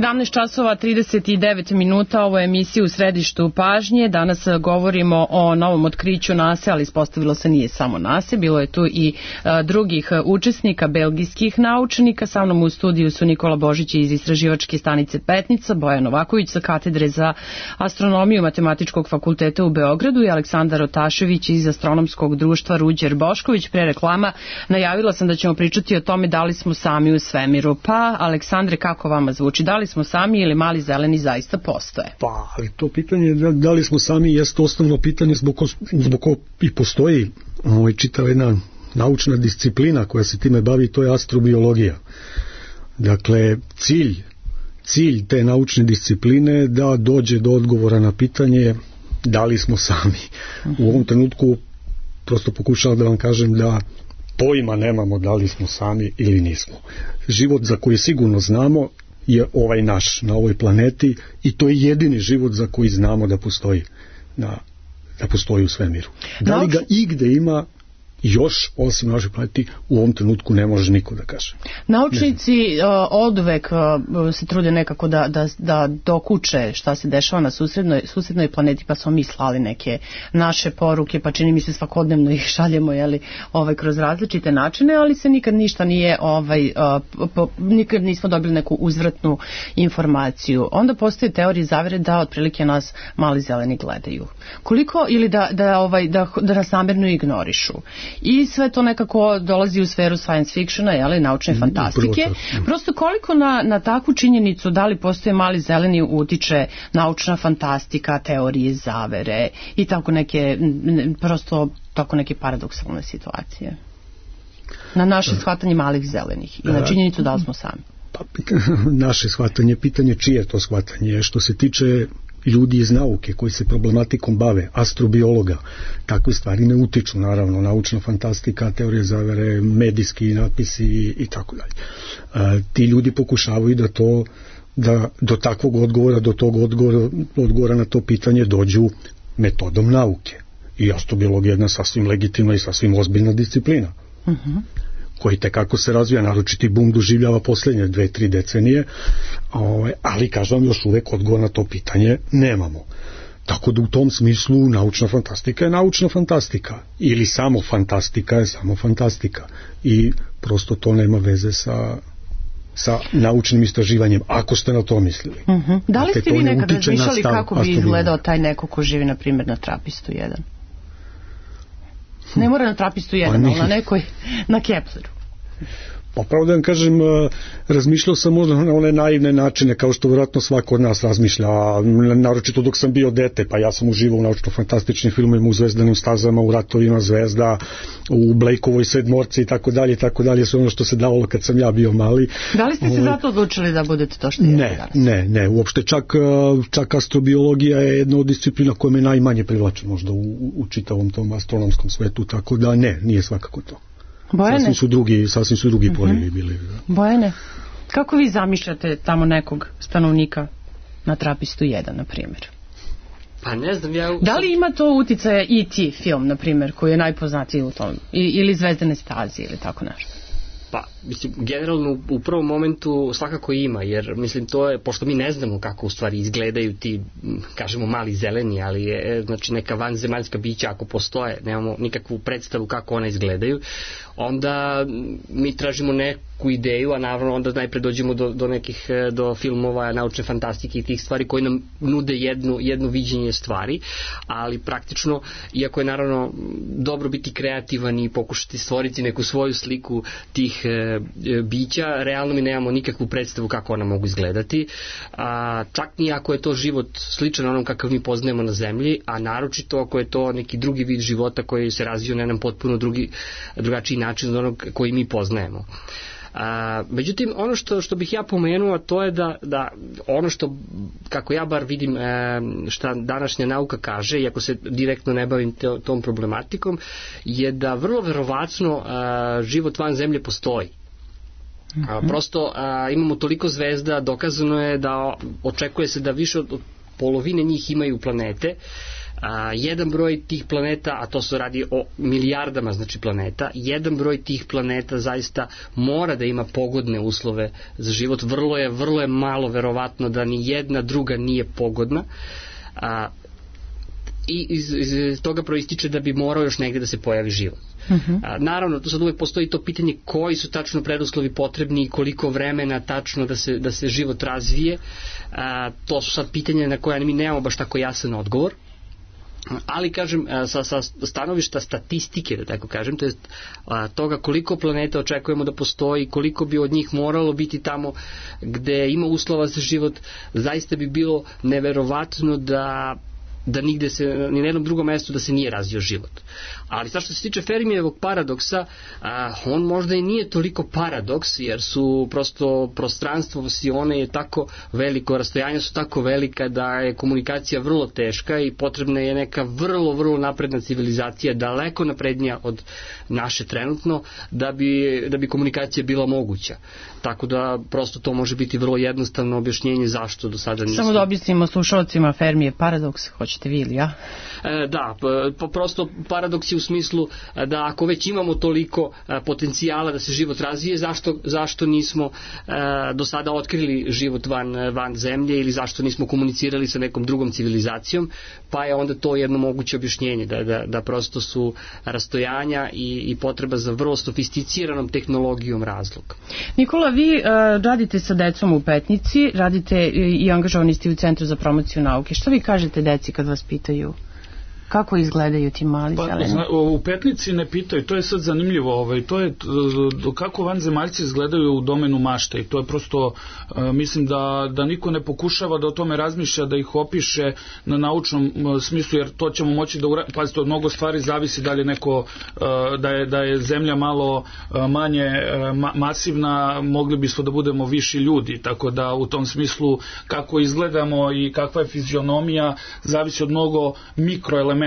sedamnaest časova trideset devet minuta, ovo je emisija U središtu pažnje. Danas govorimo o novom otkriću nase, ali ispostavilo se nije samo nase, bilo je tu i a, drugih učesnika, belgijskih naučnika. Sa mnom u studiju su Nikola Božić iz istraživačke stanice Petnica, Bojan Novaković sa katedre za astronomiju Matematičkog fakulteta u Beogradu i Aleksandar Otašević iz astronomskog društva Ruđer Bošković. Pre reklama najavila sam da ćemo pričati o tome da li smo sami u svemiru. Pa, Aleksandre, kako vama zvuči? Da li smo sami ili mali zeleni zaista postoje? Pa, ali to pitanje da, da li smo sami jeste osnovno pitanje zbog, zbog ko i postoji ovaj, čitava jedna naučna disciplina koja se time bavi, to je astrobiologija. Dakle, cilj, cilj te naučne discipline da dođe do odgovora na pitanje da li smo sami. U ovom trenutku prosto pokušavam da vam kažem da pojma nemamo da li smo sami ili nismo. Život za koji sigurno znamo je ovaj naš, na ovoj planeti, i to je jedini život za koji znamo da postoji, na, da postoji u svemiru. Da li ga igde ima još, osim našoj planeti, u ovom trenutku ne može niko da kaže. Naučnici uh, oduvek uh, se trude nekako da, da, da dokuče šta se dešava na susednoj, susednoj planeti, pa smo mi slali neke naše poruke, pa čini mi se svakodnevno ih šaljemo, jeli, ovaj, kroz različite načine, ali se nikad ništa nije, ovaj, uh, po, nikad nismo dobili neku uzvratnu informaciju. Onda postoje teorije zavere da otprilike nas mali zeleni gledaju. Koliko, ili da, da, ovaj, da, da nas namerno ignorišu. I sve to nekako dolazi u sferu science fictiona, jeli, naučne fantastike. Prosto koliko na, na takvu činjenicu da li postoje mali zeleni utiče naučna fantastika, teorije zavere i tako neke, prosto tako neke paradoksalne situacije. Na naše shvatanje malih zelenih i na činjenicu da li smo sami. Pa, naše shvatanje, pitanje čije to shvatanje, što se tiče ljudi iz nauke koji se problematikom bave, astrobiologa, takve stvari ne utiču, naravno, naučna fantastika, teorije zavere, medijski napisi i, i tako dalje. Ti ljudi pokušavaju da to, da do takvog odgovora, do tog odgovora, odgovora na to pitanje dođu metodom nauke. I astrobiologija je jedna sasvim legitimna i sasvim ozbiljna disciplina. Uh-huh. koji tekako se razvija, naročiti bum doživljava posljednje dve, tri decenije, ali kažem vam, još uvek odgovor na to pitanje nemamo. Tako da u tom smislu naučna fantastika je naučna fantastika, ili samo fantastika je samo fantastika, i prosto to nema veze sa sa naučnim istraživanjem, ako ste na to mislili. Uh-huh. Da li ste vi nekad razmišljali kako bi izgledao taj neko ko živi, na primjer, na Trapistu jedan? Ne mora na Trapistu jedan, ali na nekoj, na Kepleru. Pa pravo da vam kažem, razmišljao sam možda na one naivne načine, kao što vjerojatno svako od nas razmišlja, naročito dok sam bio dete, pa ja sam uživao u naučno-fantastičnim filmovima, u Zvezdanim stazama, u Ratovima zvezda, u Blakeovoj sedmorci i tako dalje, i tako dalje, sve ono što se davalo kad sam ja bio mali. Da li ste se zato odlučili da budete to što jeste danas? Ne, ne, uopšte čak, čak astrobiologija je jedna od disciplina koja me najmanje privlači možda u, u čitavom tom astronomskom svetu, tako da ne, nije svakako to. Bojane? Sasvim su drugi, sasvim su drugi polivi uh-huh. bili. Da. Bojane, kako vi zamišljate tamo nekog stanovnika na Trapistu jedan, na primjer? Pa ne znam, ja... Da li ima to uticaja E T film, na primjer, koji je najpoznatiji u tom, I, ili Zvezdane staze, ili tako nešto? Pa, mislim, generalno u prvom momentu svakako ima, jer mislim to je, pošto mi ne znamo kako u stvari izgledaju ti, kažemo, mali zeleni, ali je, znači, neka vanzemaljska bića ako postoje, nemamo nikakvu predstavu kako ona izgledaju, onda mi tražimo neku ideju, a naravno onda najpre dođemo do, do nekih, do filmova, naučne fantastike i tih stvari koji nam nude jednu, jedno viđenje stvari, ali praktično, iako je naravno dobro biti kreativan i pokušati stvoriti neku svoju sliku tih e, bića, realno mi nemamo nikakvu predstavu kako ona mogu izgledati, a, čak ni ako je to život sličan onom kakav mi poznajemo na zemlji, a naročito ako je to neki drugi vid života koji se razvio na jedan potpuno drugi, drugačiji način od onog koji mi poznajemo. A, međutim, ono što, što bih ja pomenuo, to je da, da ono što, kako ja bar vidim, e, šta današnja nauka kaže, iako se direktno ne bavim te, tom problematikom, je da vrlo verovatno e, život van zemlje postoji. A, prosto a, imamo toliko zvezda, dokazano je da očekuje se da više od, od polovine njih imaju planete, A, jedan broj tih planeta, a to se radi o milijardama znači planeta, jedan broj tih planeta zaista mora da ima pogodne uslove za život. Vrlo je, vrlo je malo verovatno da ni jedna druga nije pogodna. A, i iz, iz toga proističe da bi morao još negde da se pojavi život. Uh-huh. A, naravno, tu sad uvek postoji to pitanje koji su tačno preduslovi potrebni i koliko vremena tačno da se, da se život razvije. A, to su sad pitanja na koja mi nemamo baš tako jasan odgovor. Ali kažem, sa, sa stanovišta statistike, da tako kažem, to je toga koliko planeta očekujemo da postoji, koliko bi od njih moralo biti tamo gde ima uslova za život, zaista bi bilo neverovatno da da nigde se, ni na jednom drugom mestu da se nije razvio život. Ali sad što se tiče Fermijevog paradoksa, a, on možda i nije toliko paradoks, jer su prosto prostranstvo Vasione je tako veliko, rastojanja su tako velika da je komunikacija vrlo teška i potrebna je neka vrlo, vrlo napredna civilizacija, daleko naprednija od naše trenutno, da bi, da bi komunikacija bila moguća. Tako da prosto to može biti vrlo jednostavno objašnjenje zašto do sada nismo. Samo da objasnimo slušalcima Fermijev paradoks, hoćete vi ili ja? E, da, pa prosto paradoks je u smislu da ako već imamo toliko potencijala da se život razvije, zašto, zašto nismo e, do sada otkrili život van, van zemlje ili zašto nismo komunicirali sa nekom drugom civilizacijom, pa je onda to jedno moguće objašnjenje, da, da, da prosto su rastojanja i, i potreba za vrlo sofisticiranom tehnologijom razlog. Nikola, vi uh, radite sa decom u Petnici, radite i angažovani ste u Centru za promociju nauke. Šta vi kažete deci kad vas pitaju? Kako izgledaju ti mali pa, zeleni? Zna, u Petnici ne pitaju, to je sad zanimljivo, ovaj, to je kako vanzemaljci izgledaju u domenu mašte i to je prosto, mislim da, da niko ne pokušava da o tome razmišlja, da ih opiše na naučnom smislu, jer to ćemo moći da uradimo. Pazite, od mnogo stvari zavisi da li neko, da je, da je zemlja malo manje ma, masivna, mogli bismo da budemo viši ljudi, tako da u tom smislu kako izgledamo i kakva je fizionomija zavisi od mnogo mikroelemenata.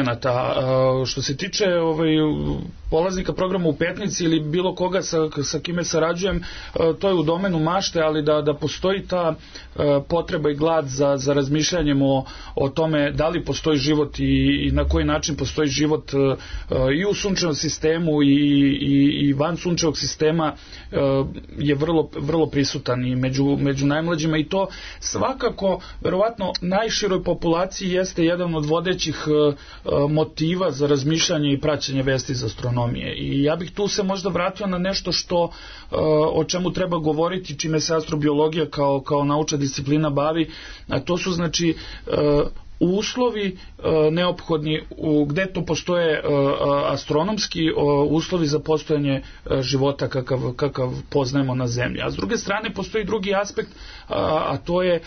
Što se tiče ovaj, polaznika programa u Petnici ili bilo koga sa, sa kime sarađujem, to je u domenu mašte, ali da, da postoji ta potreba i glad za, za razmišljanjem o, o tome da li postoji život i, i na koji način postoji život i u sunčevom sistemu i, i, i van sunčevog sistema je vrlo, vrlo prisutan i među, među najmlađima i to svakako, verovatno, najširoj populaciji jeste jedan od vodećih motiva za razmišljanje i praćenje vesti iz astronomije. I ja bih tu se možda vratio na nešto što o čemu treba govoriti, čime se astrobiologija kao, kao naučna disciplina bavi, a to su znači uslovi neophodni u, gde to postoje astronomski uslovi za postojanje života kakav, kakav poznajemo na Zemlji. A s druge strane postoji drugi aspekt, a to je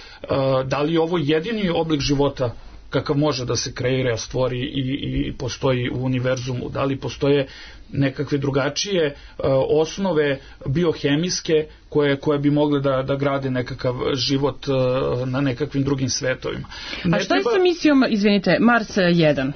da li je ovo jedini oblik života kakav može da se kreira, stvori i, i postoji u univerzumu, da li postoje nekakve drugačije uh, osnove biohemijske koje, koje bi mogle da, da grade nekakav život uh, na nekakvim drugim svetovima. Ne A šta treba... je sa misijom, izvinite, Mars jedan? Uh,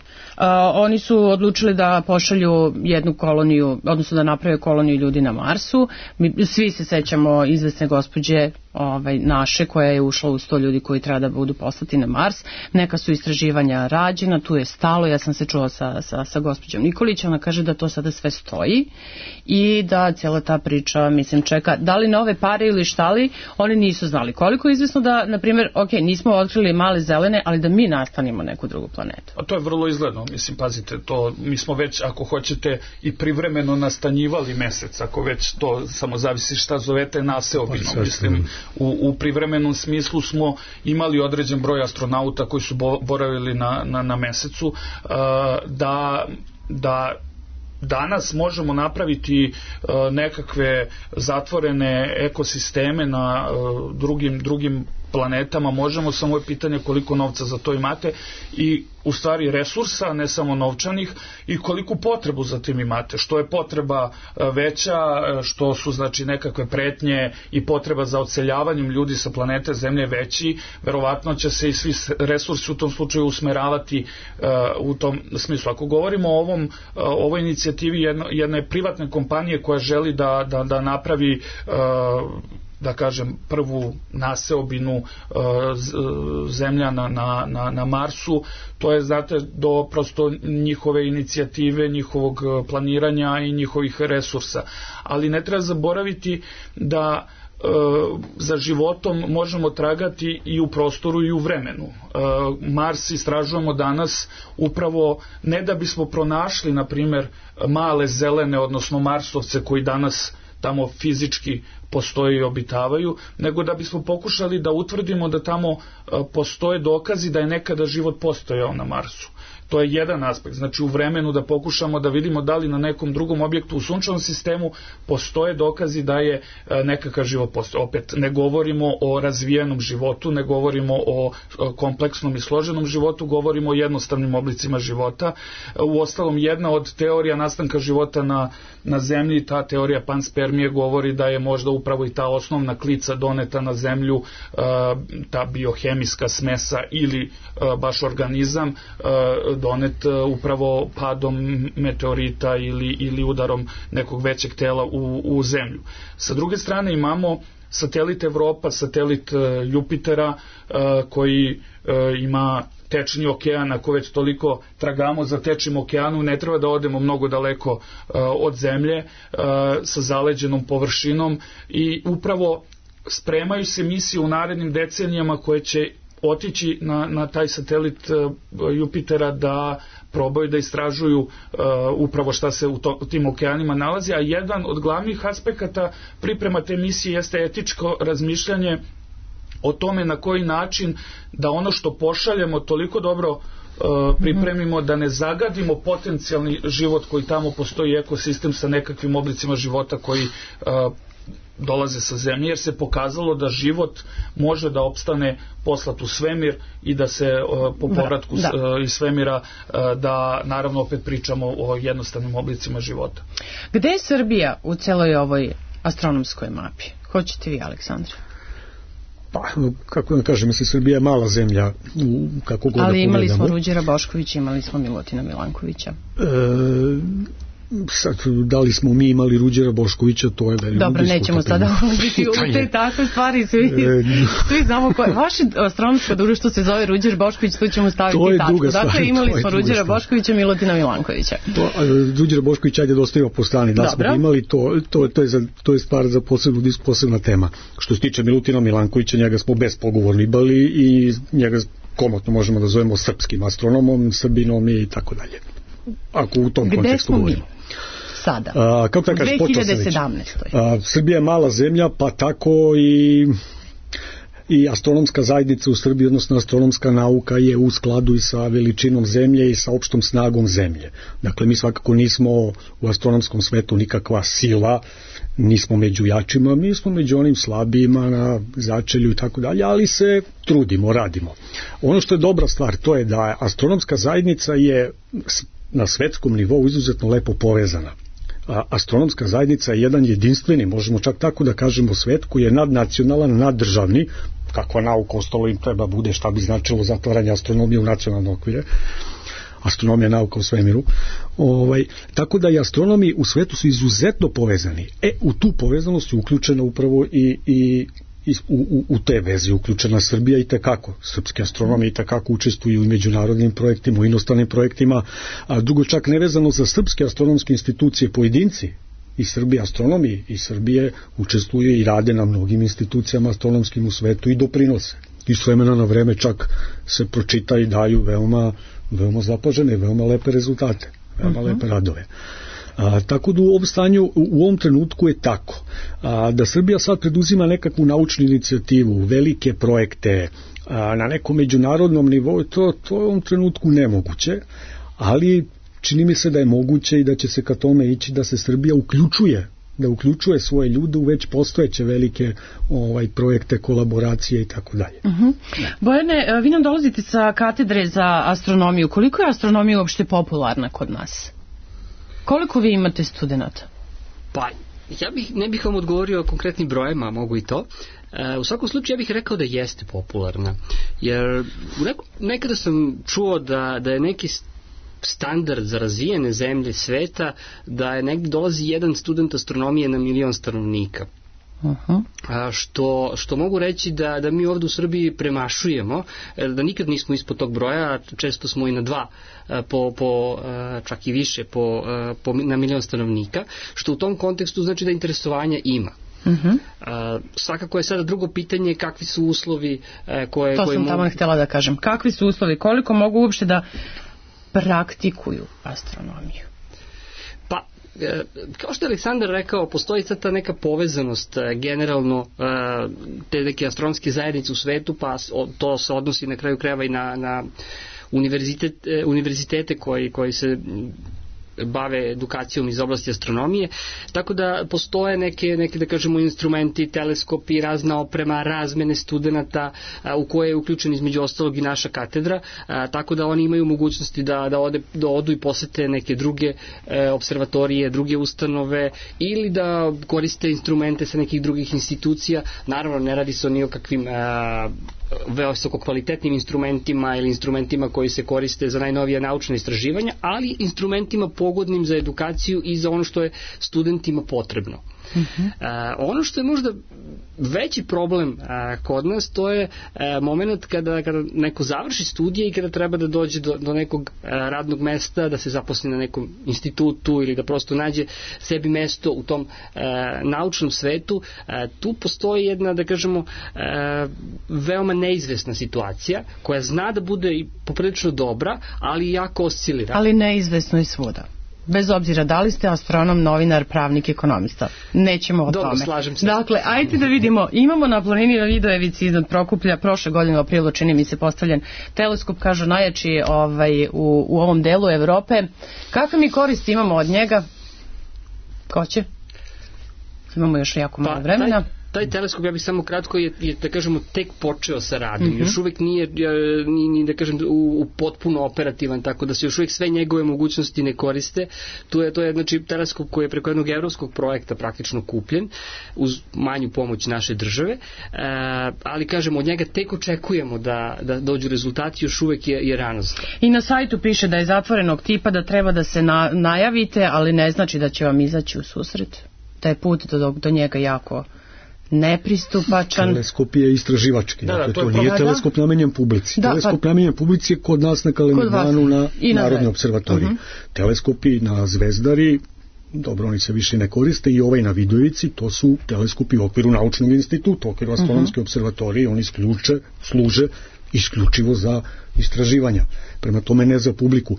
oni su odlučili da pošalju jednu koloniju, odnosno da naprave koloniju ljudi na Marsu. Mi, svi se sećamo izvesne gospođe ovaj, naše koja je ušla u sto ljudi koji treba da budu poslati na Mars. Neka su istraživanja rađena, tu je stalo, ja sam se čula sa, sa, sa gospođom Nikolić, ona kaže da to sada sve stoji i da cijela ta priča, mislim, čeka da li nove pare ili šta li, oni nisu znali. Koliko je izvesno da, na primjer, ok, nismo otkrili male zelene, ali da mi nastanimo neku drugu planetu. A to je vrlo izgledno, mislim, pazite, to mi smo već, ako hoćete, i privremeno nastanjivali mesec, ako već to samo zavisi šta zovete naseobino, mislim, u, u privremenom smislu smo imali određen broj astronauta koji su boravili na, na, na mesecu, uh, da, da danas možemo napraviti uh, nekakve zatvorene ekosisteme na uh, drugim, drugim planetama, možemo, samo je pitanje koliko novca za to imate i u stvari resursa, ne samo novčanih, i koliku potrebu za tim imate. Što je potreba veća, što su znači nekakve pretnje i potreba za odseljavanjem ljudi sa planete Zemlje veći, verovatno će se i svi resursi u tom slučaju usmeravati uh, u tom smislu. Ako govorimo o ovom, uh, ovoj inicijativi jedno, jedne privatne kompanije koja želi da, da, da napravi uh, da kažem, prvu naseobinu zemlja na, na, na, na Marsu. To je, znate, do prosto njihove inicijative, njihovog planiranja i njihovih resursa. Ali ne treba zaboraviti da za životom možemo tragati i u prostoru i u vremenu. Mars istražujemo danas upravo ne da bismo pronašli, na primjer, male zelene, odnosno marsovce koji danas tamo fizički postoje i obitavaju, nego da bismo pokušali da utvrdimo da tamo postoje dokazi da je nekada život postojao na Marsu. To je jedan aspekt, znači u vremenu da pokušamo da vidimo da li na nekom drugom objektu u sunčevom sistemu postoje dokazi da je nekakav život postojao. Opet, ne govorimo o razvijenom životu, ne govorimo o kompleksnom i složenom životu, govorimo o jednostavnim oblicima života. U ostalom, jedna od teorija nastanka života na, na zemlji, ta teorija panspermije, govori da je možda upravo i ta osnovna klica doneta na zemlju, ta biohemijska smesa ili baš organizam donet upravo padom meteorita ili, ili udarom nekog većeg tela u, u zemlju. Sa druge strane imamo satelit Evropa, satelit Jupitera koji ima tečni okean. Ako već toliko tragamo za tečnim okeanu, ne treba da odemo mnogo daleko od zemlje, sa zaleđenom površinom, i upravo spremaju se misije u narednim decenijama koje će otići na, na taj satelit uh, Jupitera da probaju da istražuju uh, upravo šta se u, to, u tim okeanima nalazi, a jedan od glavnih aspekata priprema te misije jeste etičko razmišljanje o tome na koji način da ono što pošaljemo toliko dobro uh, pripremimo da ne zagadimo potencijalni život koji tamo postoji, ekosistem sa nekakvim oblicima života koji uh, dolaze sa zemlje, jer se pokazalo da život može da opstane poslat u svemir i da se uh, po povratku da, da. iz svemira uh, da naravno opet pričamo o jednostavnim oblicima života. Gde je Srbija u celoj ovoj astronomskoj mapi? Hoćete vi, Aleksandra? Pa, kako da kažem, mislim, Srbija je mala zemlja, u, kako god da pogledamo. Ali imali smo Ruđera Boškovića, imali smo Milutina Milankovića. E, sad, da li smo mi imali Ruđera Boškovića, to je veliko. Dobro, nećemo sada ulaziti u te takve stvari, svi, svi znamo koje. Vaše astronomsko društvo se zove Ruđer Bošković, tu ćemo staviti tačku. Dakle, imali smo Ruđera Boškovića, Milutina Milankovića. To, Ruđera Boškovića, ajde dostavimo po strani, da smo imali, to, to, to, je za, to je stvar za posebnu, posebna tema. Što se tiče Milutina Milankovića, njega smo bespogovorno imali i njega komotno možemo da zovemo srpskim astronomom, Srbinom i tako dalje. Ako u tom Gde kontekstu govorimo. Sada, a, kako da kažem, u dve hiljade sedamnaestoj. A, Srbija je mala zemlja, pa tako i i astronomska zajednica u Srbiji, odnosno astronomska nauka je u skladu i sa veličinom zemlje i sa opštom snagom zemlje. Dakle, mi svakako nismo u astronomskom svetu nikakva sila, nismo među jačima, mi smo među onim slabijima na začelju i tako dalje, ali se trudimo, radimo. Ono što je dobra stvar, to je da astronomska zajednica je na svetskom nivou izuzetno lepo povezana. A astronomska zajednica je jedan jedinstveni, možemo čak tako da kažemo, svet koji je nadnacionalan, naddržavni, kakva nauka ostalo im treba bude, šta bi značilo zatvaranje astronomije u nacionalne okvire. Astronomija, nauka u svemiru. Ovaj, tako da i astronomi u svetu su izuzetno povezani. E, u tu povezanost je uključena upravo i, i I u, u, u te vezi uključena Srbija i tekako. Srpski astronomi i tekako učestvuju u međunarodnim projektima, u inostranim projektima, a drugo čak nevezano za srpske astronomske institucije, pojedinci i Srbije astronomi i Srbije učestvuju i rade na mnogim institucijama astronomskim u svetu i doprinose. I s vremena na vreme čak se pročita i daju veoma, veoma zapažene, veoma lepe rezultate, veoma uh-huh. lepe radove. A, tako da u ovom stanju, u ovom trenutku je tako. A, da Srbija sad preduzima nekakvu naučnu inicijativu, velike projekte a, na nekom međunarodnom nivou, to, to je u ovom trenutku nemoguće, ali čini mi se da je moguće i da će se ka tome ići da se Srbija uključuje da uključuje svoje ljude u već postojeće velike ovaj, projekte, kolaboracije i tako dalje. Uh-huh. Bojane, vi nam dolazite sa katedre za astronomiju. Koliko je astronomija uopšte popularna kod nas? Koliko vi imate studenta? Pa, ja bih, ne bih vam odgovorio o konkretnim brojima, mogu i to. E, u svakom slučaju ja bih rekao da jeste popularna. Jer neko, nekada sam čuo da, da je neki standard za razvijene zemlje sveta, da je negdje dolazi jedan student astronomije na milion stanovnika. Uh-huh. Što, što mogu reći da, da mi ovdje u Srbiji premašujemo, da nikad nismo ispod tog broja, često smo i na dva, po, po, čak i više po, po, na milion stanovnika, što u tom kontekstu znači da interesovanja ima. Uh-huh. Uh, svakako je sada drugo pitanje kakvi su uslovi uh, koje... To koje sam mogu... tamo htjela da kažem. Kakvi su uslovi, koliko mogu uopšte da praktikuju astronomiju? Pa, kao što je Aleksandar rekao, postoji sad ta neka povezanost generalno te neke astronomske zajednice u svetu, pa to se odnosi na kraju krajeva i na, na univerzitet, univerzitete koji, koji se bave edukacijom iz oblasti astronomije, tako da postoje neke, neke da kažemo instrumenti, teleskopi, razna oprema, razmene studenata a, u koje je uključen između ostalog i naša katedra, a, tako da oni imaju mogućnosti da, da, ode, da odu i posete neke druge e, observatorije, druge ustanove ili da koriste instrumente sa nekih drugih institucija. Naravno, ne radi se o nijokakvim a, visoko kvalitetnim instrumentima ili instrumentima koji se koriste za najnovija naučna istraživanja, ali instrumentima pogodnim za edukaciju i za ono što je studentima potrebno. Uh-huh. Uh, ono što je možda veći problem uh, kod nas, to je uh, moment kada, kada neko završi studije i kada treba da dođe do, do nekog uh, radnog mesta, da se zaposli na nekom institutu ili da prosto nađe sebi mesto u tom uh, naučnom svetu. Uh, tu postoji jedna, da kažemo, uh, veoma neizvesna situacija koja zna da bude i poprilično dobra, ali jako oscilira. Ali neizvesno i svuda. Bez obzira da li ste astronom, novinar, pravnik, ekonomista. Nećemo o Dobro, tome. slažem se. Dakle, ajde da vidimo. Imamo na planini Vidojevici iznad Prokuplja prošle godine u aprilu, čini mi se, postavljen teleskop, kažu najjači ovaj, u, u ovom delu Evrope. Kakve mi koristi imamo od njega? Ko će? Imamo još jako malo pa, vremena. Taj... Taj teleskop, ja bih samo kratko, je, je da kažemo, tek počeo sa radom. Mm-hmm. Još uvijek nije, ni, ni da kažem, u, u potpuno operativan, tako da se još uvijek sve njegove mogućnosti ne koriste. Tu je, to je, znači, teleskop koji je preko jednog evropskog projekta praktično kupljen, uz manju pomoć naše države, e, ali, kažemo, od njega tek očekujemo da, da dođu rezultati, još uvijek je, je rano. I na sajtu piše da je zatvorenog tipa, da treba da se na, najavite, ali ne znači da će vam izaći u susret. Da je put do, do njega jako nepristupačan. Teleskop je istraživački, da, dakle to, to je nije pro... teleskop namenjen publici. Da, teleskop pa... namenjen publici je kod nas na Kalemegdanu na Narodnoj observatoriji. Uh-huh. Teleskopi na Zvezdari, dobro, oni se više ne koriste, i ovaj na Vidojevici, to su teleskopi u okviru naučnog instituta, u okviru astronomske uh-huh. observatorije, oni isključe, služe isključivo za istraživanja. Prema tome ne za publiku.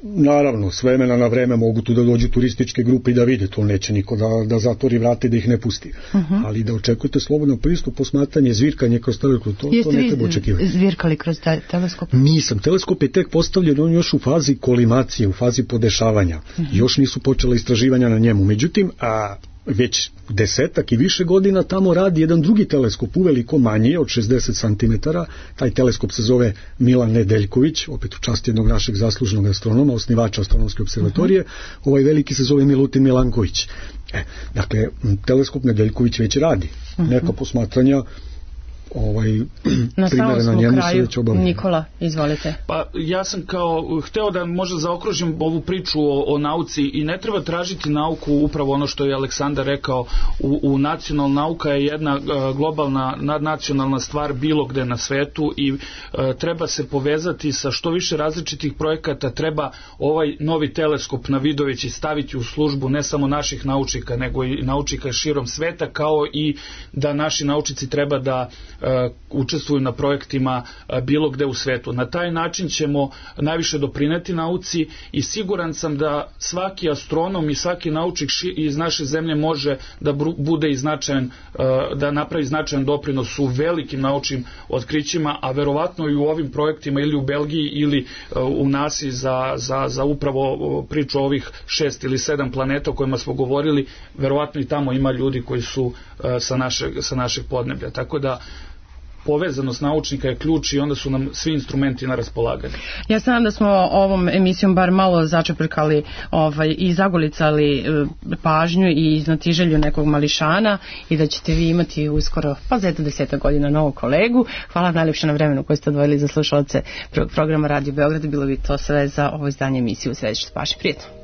Naravno, s vremena na vreme mogu tu da dođu turističke grupe i da vide, to neće niko da, da zatvori vrate i da ih ne pusti. Uh-huh. Ali da očekujete slobodan pristup, posmatranje, zvirkanje kroz teleskop, to, to ne treba očekivati. Jeste vi zvirkali kroz teleskop? Nisam. Teleskop je tek postavljen, on još u fazi kolimacije, u fazi podešavanja. Uh-huh. Još nisu počela istraživanja na njemu. Međutim, a već desetak i više godina tamo radi jedan drugi teleskop, uveliko manji, od šezdeset centimetara. Taj teleskop se zove Milan Nedeljković, opet u čast jednog našeg zaslužnog astronoma, osnivača astronomske observatorije. Uh-huh. Ovaj veliki se zove Milutin Milanković. E, dakle, teleskop Nedeljković već radi. Uh-huh. Neka posmatranja ovaj na primere na njemu se već obavljaju. Nikola, izvolite. Pa ja sam kao hteo da možda zaokružim ovu priču o, o nauci i ne treba tražiti nauku, upravo ono što je Aleksandar rekao, u, u nacionalna nauka je jedna uh, globalna nadnacionalna stvar bilo gde na svetu i uh, treba se povezati sa što više različitih projekata, treba ovaj novi teleskop na Vidojevici staviti u službu ne samo naših naučnika, nego i naučnika širom sveta, kao i da naši naučnici treba da Uh, učestvuju na projektima uh, bilo gde u svetu. Na taj način ćemo najviše doprineti nauci i siguran sam da svaki astronom i svaki naučnik ši, iz naše zemlje može da bru, bude i značajan, uh, da napravi značajan doprinos u velikim naučnim otkrićima, a verovatno i u ovim projektima ili u Belgiji ili uh, u nasi za, za, za upravo uh, priču o ovih šest ili sedam planeta o kojima smo govorili, verovatno i tamo ima ljudi koji su uh, sa, našeg, sa našeg podneblja. Tako da povezanost naučnika je ključ i onda su nam svi instrumenti na raspolaganju. Ja znam da smo ovom emisijom bar malo začeprkali ovaj, i zagolicali e, pažnju i iznatiželju nekog mališana i da ćete vi imati uskoro, pa za eto deseta godina, novog kolegu. Hvala vam najljepše na vremenu koje ste odvojili za slušalce programa Radio Beograd. Bilo bi to sve za ovo izdanje emisije u Središtu paši. Prijetno.